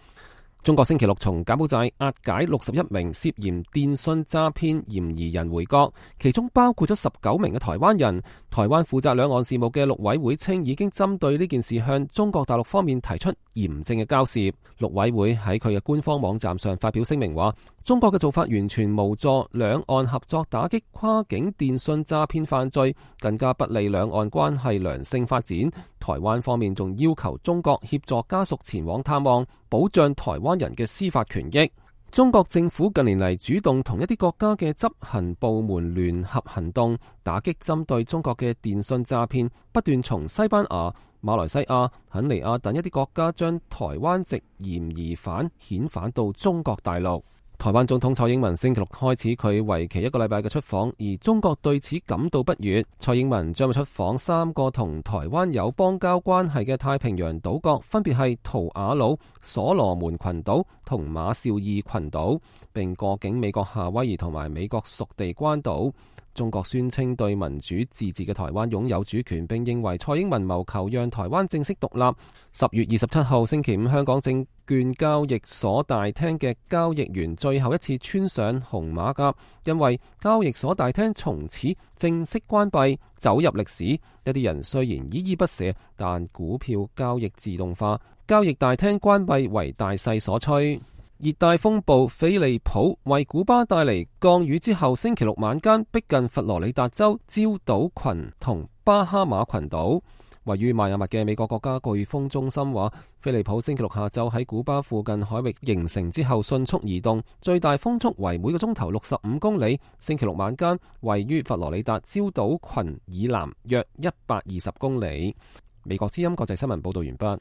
中國星期六從柬埔寨押解六十一名涉嫌電信詐騙嫌疑人回國，其中包括咗十九名嘅台灣人。台灣負責兩岸事務嘅陸委會稱，已經針對呢件事向中國大陸方面提出嚴正嘅交涉。陸委會喺佢嘅官方網站上發表聲明話，中國嘅做法完全無助兩岸合作打擊跨境電信詐騙犯罪，更加不利兩岸關係良性發展。台灣方面仲要求中國協助家屬前往探望，保障台灣人嘅司法權益。中國政府近年嚟主動同一啲國家嘅執行部門聯合行動，打擊針對中國嘅電信詐騙，不斷從西班牙、馬來西亞、肯尼亞等一啲國家將台灣籍嫌疑犯遣返到中國大陸。台灣總統蔡英文星期六開始佢為期一個禮拜嘅出訪，而中國對此感到不悅。蔡英文將會出訪三個同台灣有邦交關係嘅太平洋島國，分別係圖瓦盧、所羅門群島同馬紹爾群島，並過境美國夏威夷同埋美國屬地關島。中國宣稱對民主自治嘅台灣擁有主權，並認為蔡英文謀求讓台灣正式獨立。十月二十七號星期五，香港證券交易所大廳嘅交易員最後一次穿上紅馬甲，因為交易所大廳從此正式關閉，走入歷史。一啲人雖然依依不捨，但股票交易自動化，交易大廳關閉為大勢所趨。熱帶風暴菲利普為古巴帶嚟降雨之後，星期六晚間逼近佛羅里達州礁島群同巴哈馬群島。位於邁阿密嘅美國國家颶風中心話，菲利普星期六下晝喺古巴附近海域形成之後迅速移動，最大風速為每個鐘頭六十五公里。星期六晚間位於佛羅里達礁島群以南約一百二十公里。美國之音國際新聞報道完畢。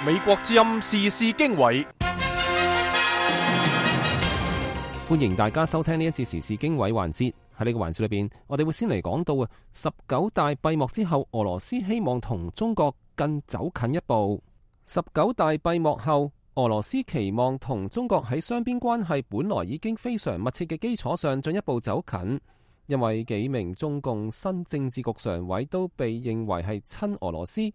美國之音時事經緯，歡迎大家收聽呢一次時事經緯環節。喺呢個環節裏邊，我哋會先嚟講到啊，十九大閉幕之後，俄羅斯希望同中國更走近一步。十九大閉幕後，俄羅斯期望同中國喺雙邊關係本來已經非常密切嘅基礎上進一步走近，因為幾名中共新政治局常委都被認為係親俄羅斯。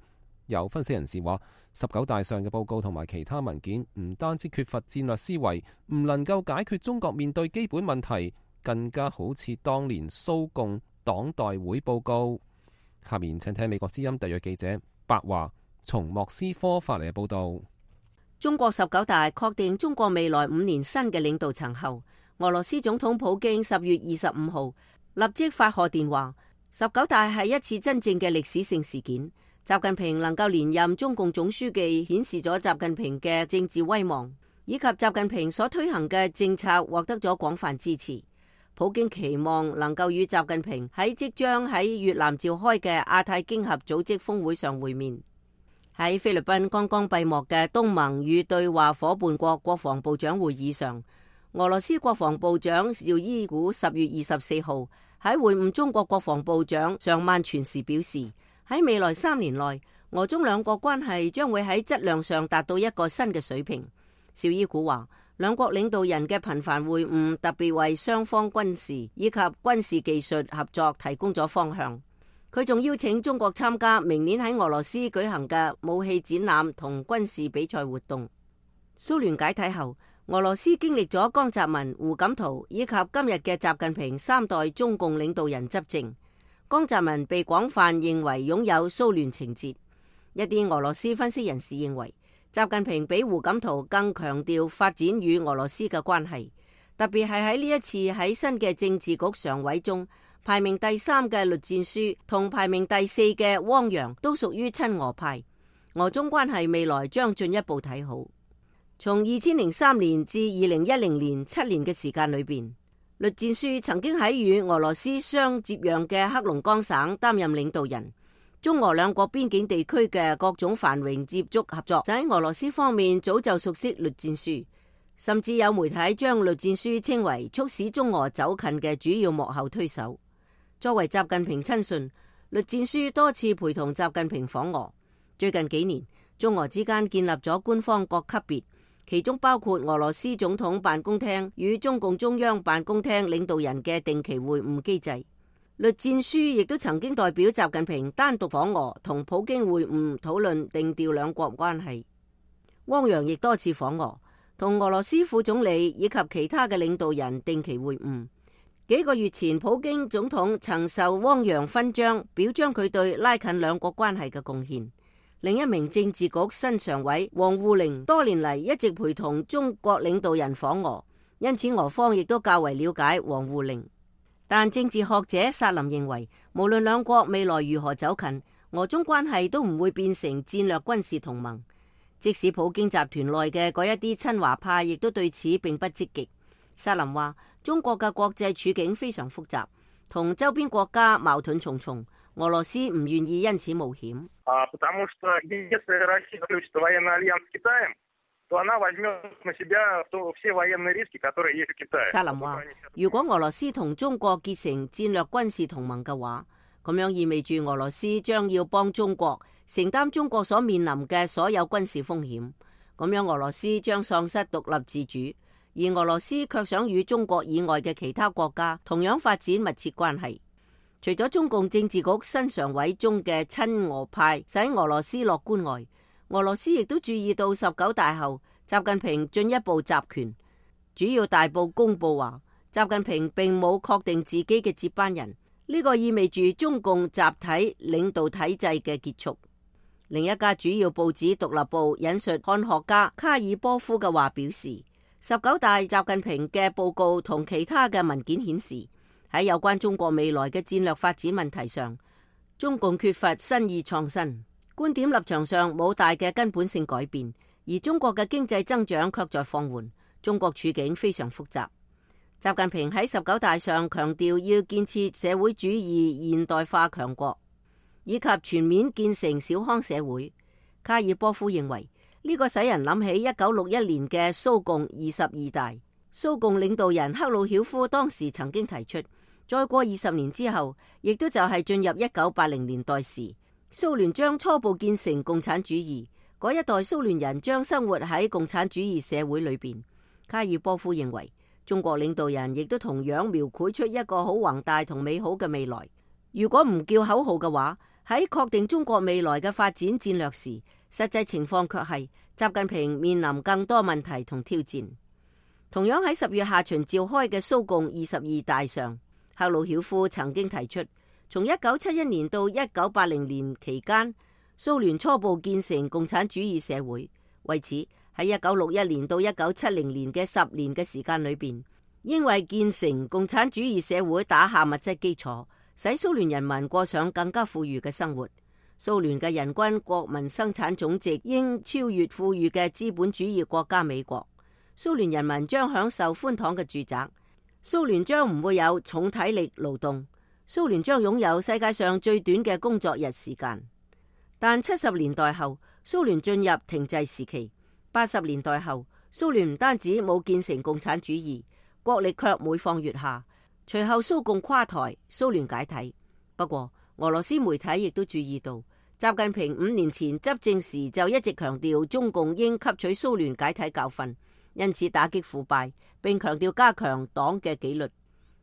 有分析人士話，十九大上嘅報告同埋其他文件唔單止缺乏戰略思維，唔能夠解決中國面對基本問題，更加好似當年蘇共黨代會報告。下面請聽美國之音特約記者白華從莫斯科發嚟嘅報道。中國十九大確定中國未來五年新嘅領導層後，俄羅斯總統普京十月二十五號立即發賀電話，十九大係一次真正嘅歷史性事件。習近平能夠連任中共總書記，顯示咗習近平嘅政治威望，以及習近平所推行嘅政策獲得咗廣泛支持。普京期望能夠與習近平喺即將喺越南召開嘅亞太經合組織峰會上會面。喺菲律賓剛剛閉幕嘅東盟與對話夥伴國國防部長會議上，俄羅斯國防部長紹伊古十月二十四號喺會晤中國國防部長尚曼全時表示，喺未來三年內，俄中兩國關係將會喺質量上達到一個新嘅水平。紹伊古話，兩國領導人嘅頻繁會晤特別為雙方軍事以及軍事技術合作提供咗方向。佢仲邀請中國參加明年喺俄羅斯舉行嘅武器展覽同軍事比賽活動。蘇聯解體後，俄羅斯經歷咗江澤民、胡錦濤以及今日嘅習近平三代中共領導人執政。江澤民被廣泛認為擁有蘇聯情節，一啲俄羅斯分析人士認為，習近平比胡錦濤更強調發展與俄羅斯嘅關係，特別係喺呢一次喺新嘅政治局常委中，排名第三嘅栗戰書同排名第四嘅汪洋都屬於親俄派，俄中關係未來將進一步睇好。從二千零三年至二零一零年七年嘅時間裏邊，栗戰書曾經喺與俄羅斯相接壤嘅黑龍江省擔任領導人，中俄兩國邊境地區嘅各種繁榮接觸合作，就喺俄羅斯方面早就熟悉栗戰書，甚至有媒體將栗戰書稱為促使中俄走近嘅主要幕後推手。作為習近平親信，栗戰書多次陪同習近平訪俄。最近幾年，中俄之間建立咗官方各級別，其中包括俄羅斯總統辦公廳與中共中央辦公廳領導人嘅定期會晤機制。栗戰書亦都曾經代表習近平單獨訪俄，同普京會晤討論定調兩國關係。汪洋亦多次訪俄，同俄羅斯副總理以及其他嘅領導人定期會晤。幾個月前，普京總統曾受汪洋勳章，表彰佢對拉近兩國關係嘅貢獻。另一名政治局新常委王滬寧多年嚟一直陪同中國領導人訪俄，因此俄方亦都較為了解王滬寧。但政治學者薩林認為，無論兩國未來如何走近，俄中關係都唔會變成戰略軍事同盟。即使普京集團內嘅嗰一啲親華派亦都對此並不積極。薩林話，中國嘅國際處境非常複雜，同周邊國家矛盾重重，俄羅斯唔願意因此冒險。薩林話：如果俄羅斯同中國結成戰略軍事同盟嘅話，咁樣意味住俄羅斯將要幫中國承擔中國所面臨嘅所有軍事風險。咁樣俄羅斯將喪失獨立自主，而俄羅斯卻想與中國以外嘅其他國家同樣發展密切關係。除咗中共政治局新常委中嘅親俄派使俄羅斯樂觀外，俄羅斯亦都注意到十九大後習近平進一步集權。主要大報公佈話，習近平並冇確定自己嘅接班人，呢個意味住中共集體領導體制嘅結束。另一家主要報紙《獨立報》引述漢學家卡爾波夫嘅話表示，十九大習近平嘅報告同其他嘅文件顯示，喺有關中國未來嘅戰略發展問題上，中共缺乏新意創新，觀點立場上冇大嘅根本性改變，而中國嘅經濟增長卻在放緩，中國處境非常複雜。習近平喺十九大上強調要建設社會主義現代化強國，以及全面建成小康社會。卡爾波夫認為呢個使人諗起一九六一年嘅蘇共二十二大。蘇共領導人赫魯曉夫當時曾經提出，再過二十年之後，亦都就係進入一九八零年代時，蘇聯將初步建成共產主義，嗰一代蘇聯人將生活喺共產主義社會裏邊。卡爾波夫認為，中國領導人亦都同樣描繪出一個好宏大同美好嘅未來。如果唔叫口號嘅話，喺確定中國未來嘅發展戰略時，實際情況卻係習近平面臨更多問題同挑戰。同樣喺十月下旬召開嘅蘇共二十二大上，赫魯曉夫曾經提出，從一九七一年到一九八零年期間，蘇聯初步建成共產主義社會。為此，喺一九六一年到一九七零年嘅十年嘅時間裏邊，應為建成共產主義社會打下物質基礎，使蘇聯人民過上更加富裕嘅生活。蘇聯嘅人均國民生產總值應超越富裕嘅資本主義國家美國。蘇聯人民將享受寬敞嘅住宅。蘇聯將唔會有重體力勞動。蘇聯將擁有世界上最短嘅工作日時間。但七十年代後，蘇聯進入停滯時期。八十年代後，蘇聯唔單止冇建成共產主義，國力卻每況愈下。隨後蘇共垮台，蘇聯解體。不過，俄羅斯媒體亦都注意到，習近平五年前執政時就一直強調中共應吸取蘇聯解體教訓，因此打擊腐敗，並強調加強黨嘅紀律。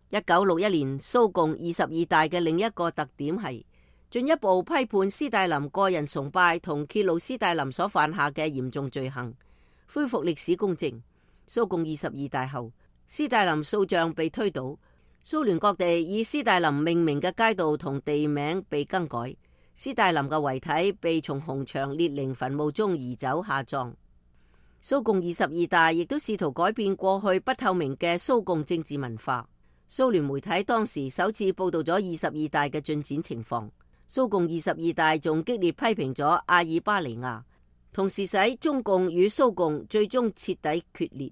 一九六一年蘇共二十二大嘅另一個特點係進一步批判斯大林個人崇拜同揭露斯大林所犯下嘅嚴重罪行，恢復歷史公正。蘇共二十二大後，斯大林塑像被推倒，蘇聯各地以斯大林命名嘅街道同地名被更改，斯大林嘅遺體被從紅場列寧墳墓中移走下葬。蘇共二十二大亦都試圖改變過去不透明嘅蘇共政治文化。蘇聯媒體當時首次報道咗二十二大嘅進展情況。蘇共二十二大仲激烈批評咗阿爾巴尼亞，同時使中共與蘇共最終徹底決裂。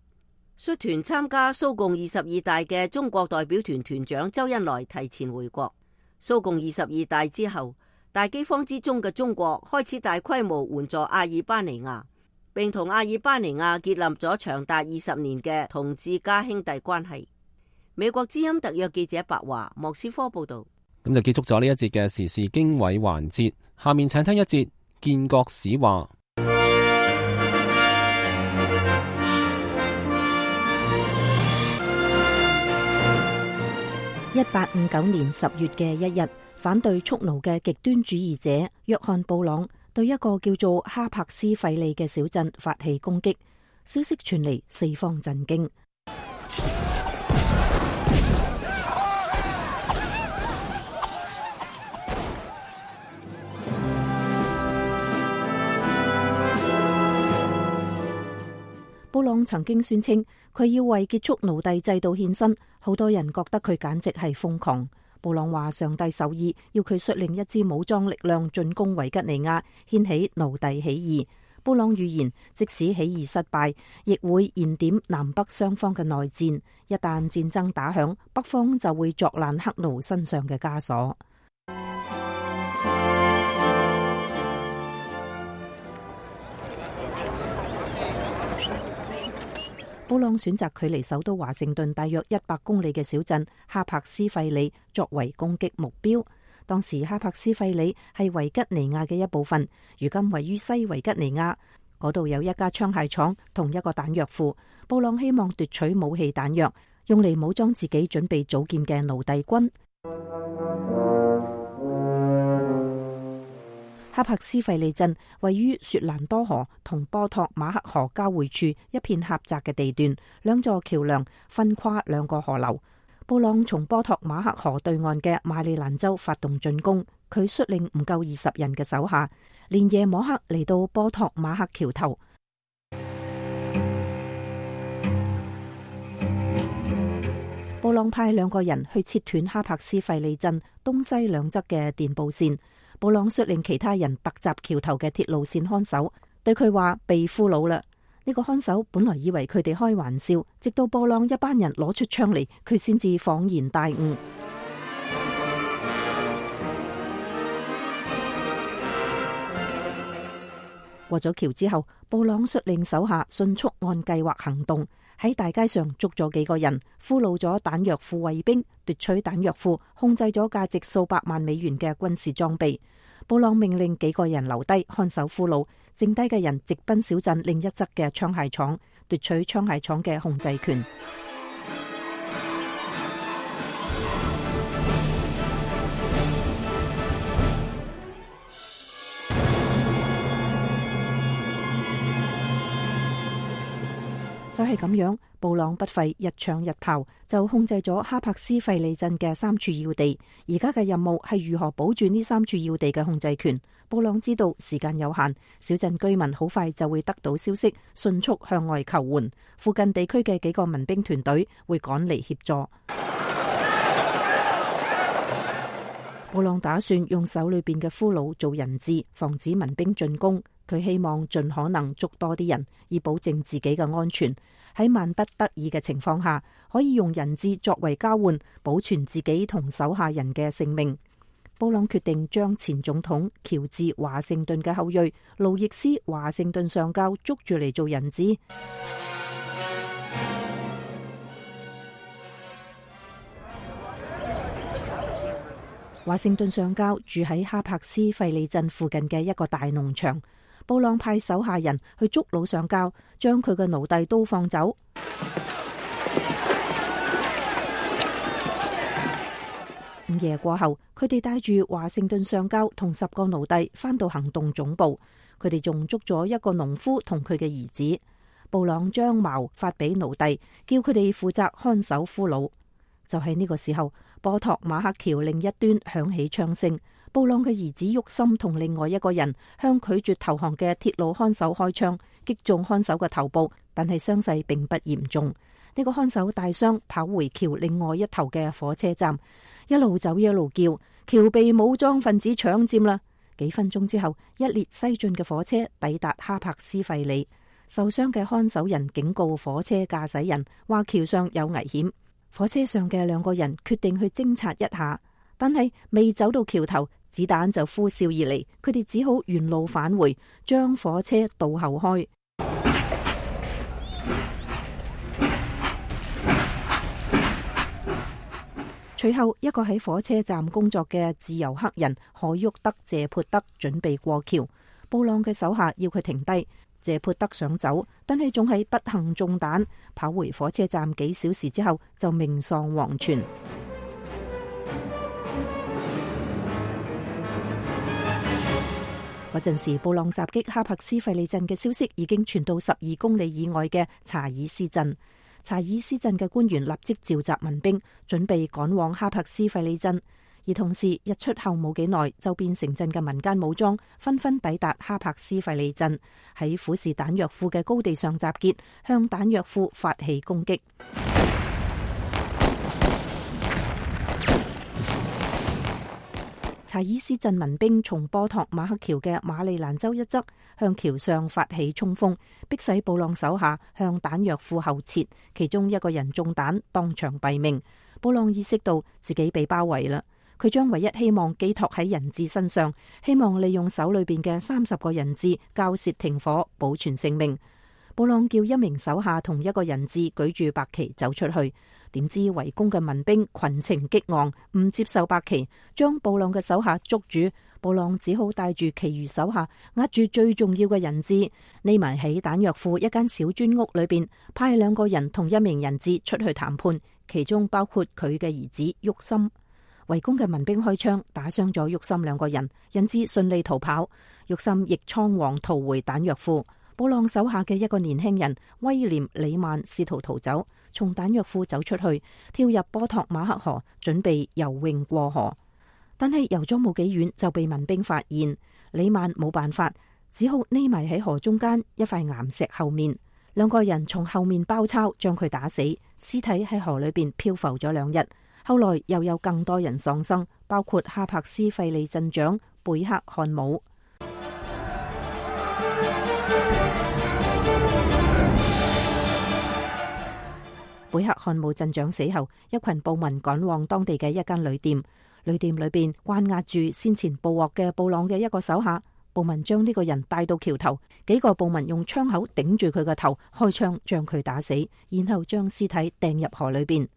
率團參加蘇共二十二大嘅中國代表團團長周恩來提前回國。蘇共二十二大之後，大饑荒之中嘅中國開始大規模援助阿爾巴尼亞，並同阿爾巴尼亞建立咗長達二十年嘅同志加兄弟關係。美國之音特約記者白華莫斯科報道。咁就結束咗呢一節嘅時事經緯環節，下面請聽一節建國史話。一八五九年十月嘅一日，反對蓄奴嘅極端主義者約翰布朗對一個叫做哈柏斯費利嘅小鎮發起攻擊，消息傳嚟，四方震驚。布朗曾經宣稱佢要為結束奴隸制度獻身，好多人覺得佢簡直係瘋狂。布朗話上帝授意要佢率領一支武裝力量進攻維吉尼亞，掀起奴隸起義。布朗預言，即使起義失敗，亦會燃點南北雙方嘅內戰。一旦戰爭打響，北方就會作爛黑奴身上嘅枷鎖。布朗選擇距離首都華盛頓大約一百公里嘅小鎮哈珀斯費里作為攻擊目標。當時哈珀斯費里係維吉尼亞嘅一部分，如今位於西維吉尼亞，嗰度有一家槍械廠同一個彈藥庫。布朗希望奪取武器彈藥，用嚟武裝自己準備組建嘅奴隸軍。哈珀斯費里鎮位於雪蘭多河同波托馬克河交匯處一片狹窄嘅地段，兩座橋樑分跨兩個河流。布朗從波托馬克河對岸嘅馬里蘭州發動進攻，佢率領唔夠二十人嘅手下，連夜摸黑嚟到波托馬克橋頭。布朗派兩個人去切斷哈珀斯費里鎮東西兩側嘅電報線。布朗率領其他人突襲橋頭嘅鐵路線看守，對佢話被俘虜啦。呢個看守本來以為佢哋開玩笑，直到布朗一班人攞出槍嚟，佢先至恍然大悟。過咗橋之後，布朗率領手下迅速按計劃行動，喺大街上捉咗幾個人，俘虜咗彈藥庫衛兵，奪取彈藥庫，控制咗價值數百萬美元嘅軍事裝備。布朗命令幾個人留低看守俘虜，剩低嘅人直奔小鎮另一側嘅槍械廠，奪取槍械廠嘅控制權。就係咁樣，布朗不費一槍一炮就控制咗哈珀斯費里鎮嘅三處要地。而家嘅任務係如何保住呢三處要地嘅控制權。布朗知道時間有限，小鎮居民好快就會得到消息，迅速向外求援。附近地區嘅幾個民兵團隊會趕嚟協助。布朗打算用手裏邊嘅俘虜做人質，防止民兵進攻。佢希望盡可能捉多啲人，以保證自己嘅安全。喺萬不得已嘅情況下，可以用人質作為交換，保存自己同手下人嘅性命。布朗決定將前總統喬治華盛頓嘅後裔路易斯華盛頓上校捉住嚟做人質。華盛頓上校住喺哈珀斯費里鎮附近嘅一個大農場。布朗派手下人去捉老上校，將佢嘅奴隸都放走。午夜過後，佢哋帶住華盛頓上校同十個奴隸返到行動總部。佢哋仲捉咗一個農夫同佢嘅兒子。布朗將矛發俾奴隸，叫佢哋負責看守俘虜。就喺呢個時候，波托馬克橋另一端響起槍聲。布朗嘅兒子沃森同另外一個人向拒絕投降嘅鐵路看守開槍，擊中看守嘅頭部，但係傷勢並不嚴重。呢、這個看守大傷，跑回橋另外一頭嘅火車站，一路走一路叫：橋被武裝分子搶佔啦！幾分鐘之後，一列西進嘅火車抵達哈珀斯費里。受傷嘅看守人警告火車駕駛人，話橋上有危險。火車上嘅兩個人決定去偵察一下，但係未走到橋頭，子彈就呼嘯而嚟，佢哋只好原路返回，將火車倒後開。隨後，一個喺火車站工作嘅自由黑人海沃德謝潑德準備過橋，布朗嘅手下要佢停低。謝潑德想走，但係仲係不幸中彈，跑回火車站幾小時之後就命喪黃泉。嗰陣時，布朗襲擊哈珀斯費里鎮嘅消息已經傳到十二公里以外嘅查爾斯鎮。查爾斯鎮嘅官員立即召集民兵，準備趕往哈珀斯費里鎮。而同時，日出後冇幾耐，周邊城鎮嘅民間武裝紛紛抵達哈珀斯費里鎮，喺虎視彈藥庫嘅高地上集結，向彈藥庫發起攻擊。查爾斯鎮民兵從波托馬克橋嘅馬里蘭州一側向橋上發起衝鋒，迫使布朗手下向彈藥庫後撤，其中一個人中彈，當場斃命。布朗意識到自己被包圍啦。佢將唯一希望寄託喺人質身上，希望利用手裏邊嘅三十個人質交涉停火，保存性命。布朗叫一名手下同一個人質舉住白旗走出去，點知圍攻嘅民兵群情激昂，唔接受白旗，將布朗嘅手下捉住。布朗只好帶住其餘手下壓住最重要嘅人質，匿埋喺彈藥庫一間小磚屋裏邊，派兩個人同一名人質出去談判，其中包括佢嘅兒子沃森。圍攻嘅民兵開槍打傷咗沃森兩個人，人質順利逃跑，沃森亦倉皇逃回彈藥庫。布朗手下嘅一個年輕人威廉里曼試圖逃走，從彈藥庫走出去，跳入波托馬克河，準備游泳過河。但係游咗冇幾遠就被民兵發現，里曼冇辦法，只好匿埋喺河中間一塊岩石後面。兩個人從後面包抄，將佢打死，屍體喺河裏邊漂浮咗兩日。後來又有更多人喪生，包括哈柏斯費利鎮長貝克漢姆。貝克漢姆鎮長死後，一群暴民趕往當地嘅一間旅店。旅店裏邊關押住先前捕獲嘅布朗嘅一個手下，暴民將呢個人帶到橋頭，幾個暴民用槍口頂住佢個頭，開槍將佢打死，然後將屍體掟入河裏邊。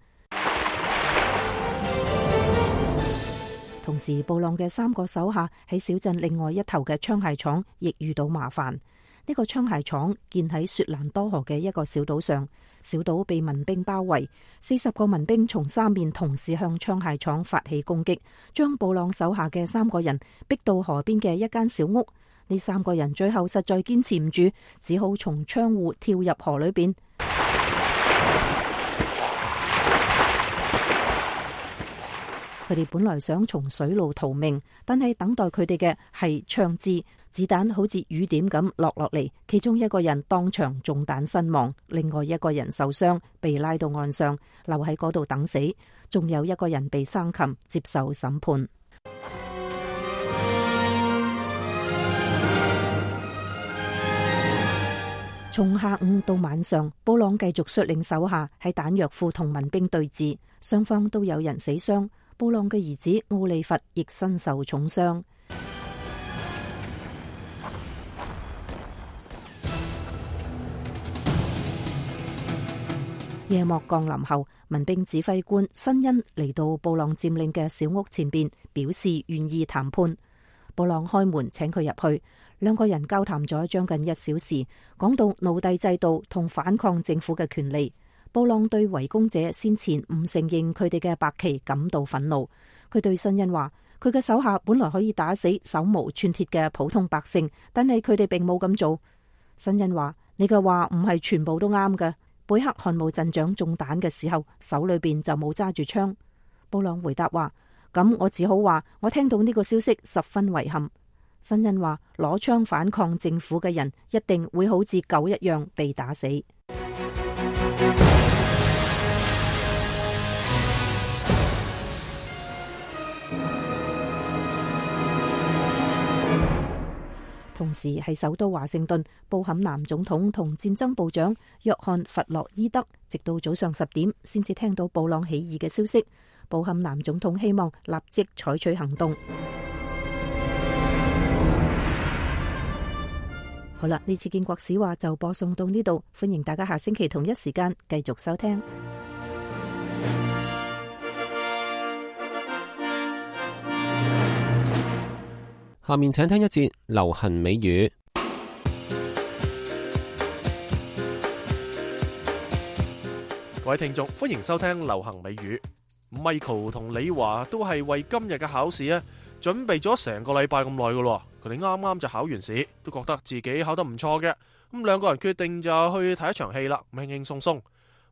同時，布朗嘅三個手下喺小鎮另外一頭嘅槍械廠亦遇到麻煩。呢個槍械廠建喺雪蘭多河嘅一個小島上，小島被民兵包圍，四十個民兵從三面同時向槍械廠發起攻擊，將布朗手下嘅三個人逼到河邊嘅一間小屋。呢三個人最後實在堅持唔住，只好從窗戶跳入河裏邊。佢哋本來想從水路逃命，但係等待佢哋嘅係槍支，子彈好似雨點咁落落嚟。其中一個人當場中彈身亡，另外一個人受傷，被拉到岸上，留喺嗰度等死。仲有一個人被生擒，接受審判。從下午到晚上，布朗繼續率領手下喺彈藥庫同民兵對峙，雙方都有人死傷。布朗嘅兒子奧利弗亦身受重傷。夜幕降臨後，民兵指揮官辛恩嚟到布朗佔領嘅小屋前邊，表示願意談判。布朗開門請佢入去，兩個人交談咗將近一小時，講到奴隸制度同反抗政府嘅權利。布朗對圍攻者先前唔承認佢哋嘅白旗感到憤怒。佢對辛恩話：佢嘅手下本來可以打死手無寸鐵嘅普通百姓，但係佢哋並冇咁做。辛恩話：你嘅話唔係全部都啱嘅。貝克漢姆鎮長中彈嘅時候，手裏邊就冇揸住槍。布朗回答話：咁我只好話，我聽到呢個消息十分遺憾。辛恩話：攞槍反抗政府嘅人一定會好似狗一樣被打死。同時喺首都華盛頓，布坎南總統同戰爭部長約翰弗洛伊德直到早上十點先至聽到布朗起義嘅消息。布坎南總統希望立即採取行動。好啦，呢次建國史話就播送到呢度，歡迎大家下星期同一時間繼續收聽。下面請聽一節流行美語。各位聽眾，歡迎收聽流行美語。Michael 同李華都係為今日嘅考試咧，準備咗成個禮拜咁耐噶咯。佢哋啱啱就考完試，都覺得自己考得唔錯嘅。咁兩個人決定就去睇一場戲啦，輕輕鬆鬆。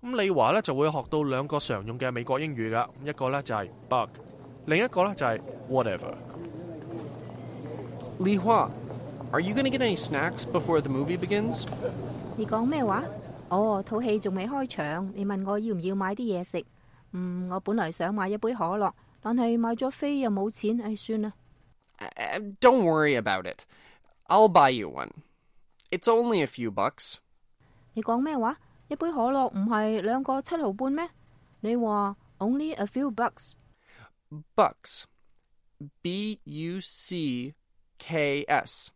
咁李華咧就會學到兩個常用嘅美國英語噶，一個咧就係 bug， 另一個咧就係 whatever。Li Hua, are you going to get any snacks before the movie begins? 你講咩話？哦，套戲仲未開場，你問我要唔要買啲嘢食？嗯，我本來想買一杯可樂，但係買咗飛又冇錢，唉，算啦。Uh, don't worry about it. I'll buy you one. It's only a few bucks. 你講咩話？一杯可樂唔係兩個七毫半咩？你話 only a few bucks? Bucks. B U C K S.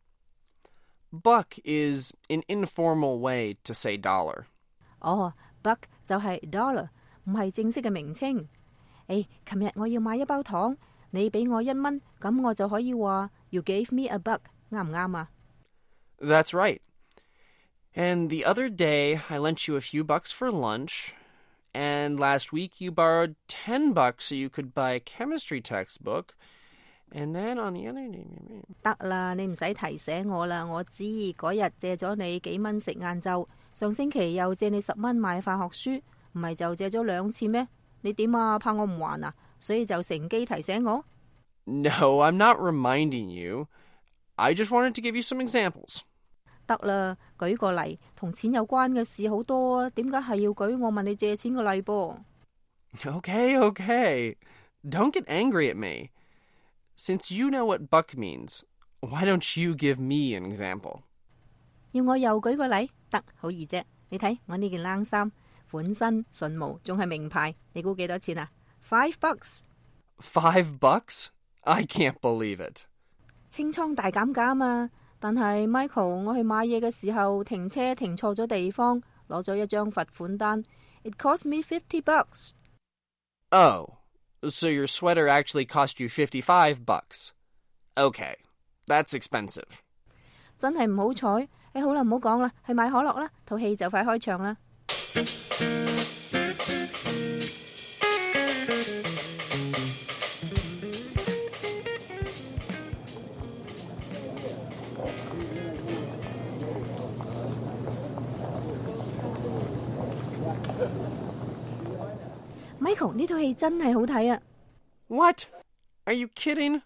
buck is an informal way to say dollar. 哦 ，buck 就係 dollar， 唔係正式嘅名稱。誒，琴日我要買一包糖，你俾我一蚊，咁我就可以話 You gave me a buck， 啱唔啱啊？ That's right. And the other day, I lent you a few bucks for lunch, and last week you borrowed ten bucks so you could buy a chemistry textbook, and then on the other day... 得啦，你唔使提醒我啦，我知嗰日借咗你幾蚊食晏晝，上星期又借你十蚊買化學書，唔係就借咗兩次咩？你點啊？怕我唔還啊？所以就乘機提醒我？ No, I'm not reminding you. I just wanted to give you some examples. 得啦，舉個例，同錢有關嘅事好多啊，點解係要舉我問你借錢嘅例噃？ Okay, okay. Don't get angry at me. Since you know what buck means, why don't you give me an example? 要我又舉個例？得，好易啫。你睇我呢件冷衫，款新順毛，仲係名牌，你估幾多錢啊？ Five bucks. Five bucks? I can't believe it. 清倉大減價啊嘛，但係 Michael， 我去買嘢嘅時候停車停錯咗地方，攞咗一張罰款單。It cost me fifty bucks. Oh, so your sweater actually cost you fifty-five bucks. Okay, that's expensive. 真係唔好彩。誒，好啦，唔好講啦，去買可樂啦，套戲就快開場啦。Michael， 呢套戲真係好睇啊！ What? Are you kidding?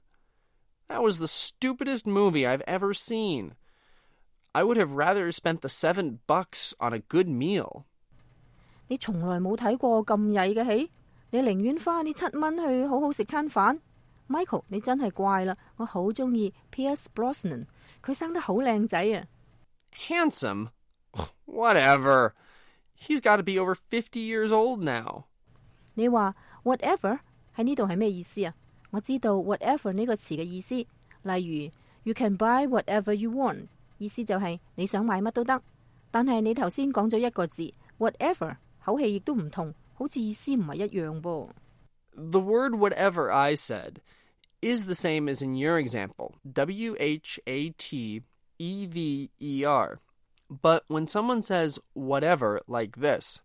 That was the stupidest movie I've ever seen. I would have rather spent the seven bucks on a good meal. 你從來冇睇過咁曳嘅戲，你寧願花呢七蚊去好好食餐飯。Michael， 你真係怪啦，我好中意 Pierce Brosnan， 佢生得好靚仔啊。Handsome? Whatever. He's got to be over fifty years old now. 你話 whatever 喺呢度係咩意思啊？我知道 whatever 呢個詞嘅意思，例如 You can buy whatever you want， 意思就係你想買乜都得。但係你頭先講咗一個字 whatever， 口氣亦都唔同，好似意思唔係一樣噃。The word whatever I said is the same as in your example, W H A T E V E R. But when someone says whatever like this,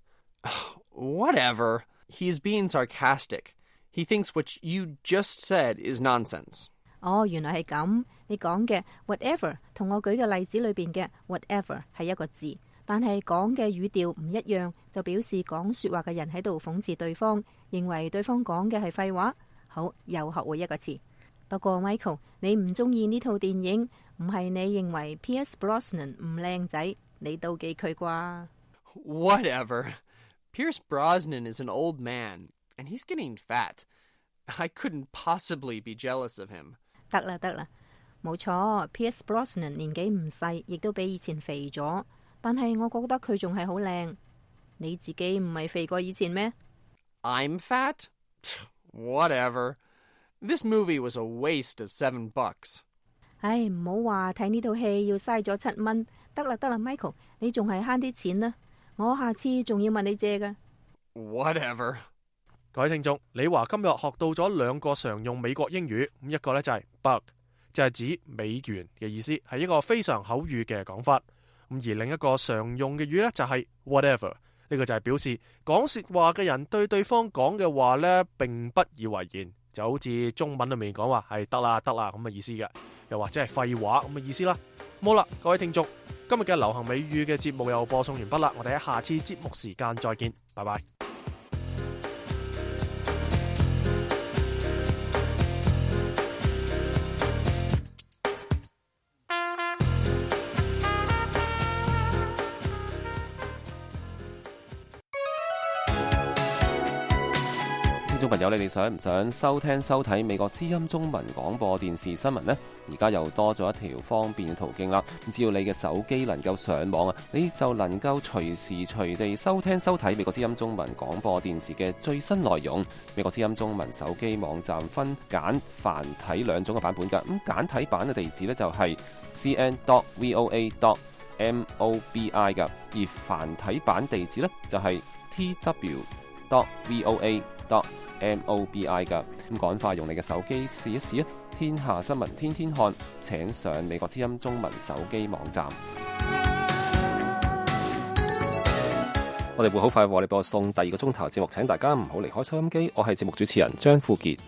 whatever, he's being sarcastic. He thinks what you just said is nonsense. 哦，原來係咁。你講嘅 whatever 同我舉嘅例子裏邊嘅 whatever 係一個字，但係講嘅語調唔一樣，就表示講說話嘅人喺度諷刺對方，認為對方講嘅係廢話。好，又學會一個詞。不過 Michael， 你唔中意呢套電影，唔係你認為 Pierce Brosnan 唔靚仔，你妒忌佢啩？ Whatever. Pierce Brosnan is an old man, and he's getting fat. I couldn't possibly be jealous of him. 得啦得啦，冇錯 ，Pierce Brosnan 年紀唔細，亦都比以前肥咗。但係我覺得佢仲係好靚。你自己唔係肥過以前咩？ I'm fat? Whatever. This movie was a waste of seven bucks. 唉，唔好話睇呢套戲要嘥咗七蚊。得啦得啦 ，Michael， 你仲係慳啲錢啦。我下次仲要問你借㗎。Whatever. 各位聽眾，李華今日學到咗兩個常用美國英語，咁一個呢就係 buck， 就係指美元嘅意思，係一個非常口語嘅講法。咁而另一個常用嘅語呢，就係 whatever， 呢個就係表示講說話嘅人對對方講嘅話呢並不以為然，就好似中文裏面講話係得啦得啦咁嘅意思嘅，又或者係廢話咁嘅意思啦。好啦，各位聽眾，今日嘅流行美語嘅節目又播送完畢啦，我哋喺下次節目時間再見，拜拜。聽眾朋友，你哋想唔想收聽收睇美國之音中文廣播電視新聞呢？而家又多咗一條方便嘅途徑啦。只要你嘅手機能夠上網啊，你就能夠隨時隨地收聽收睇美國之音中文廣播電視嘅最新內容。美國之音中文手機網站分簡繁體兩種嘅版本㗎。咁簡體版嘅地址呢，就係 c n dot voa dot mobi 㗎，而繁體版地址呢，就係 t w dot voa dot mobi 㗎。咁趕快用你嘅手機試一試啊！天下新聞天天看，請上美國之音中文手機網站。我哋會好快為你播送第二個鐘頭節目，請大家唔好離開收音機。我係節目主持人張富傑。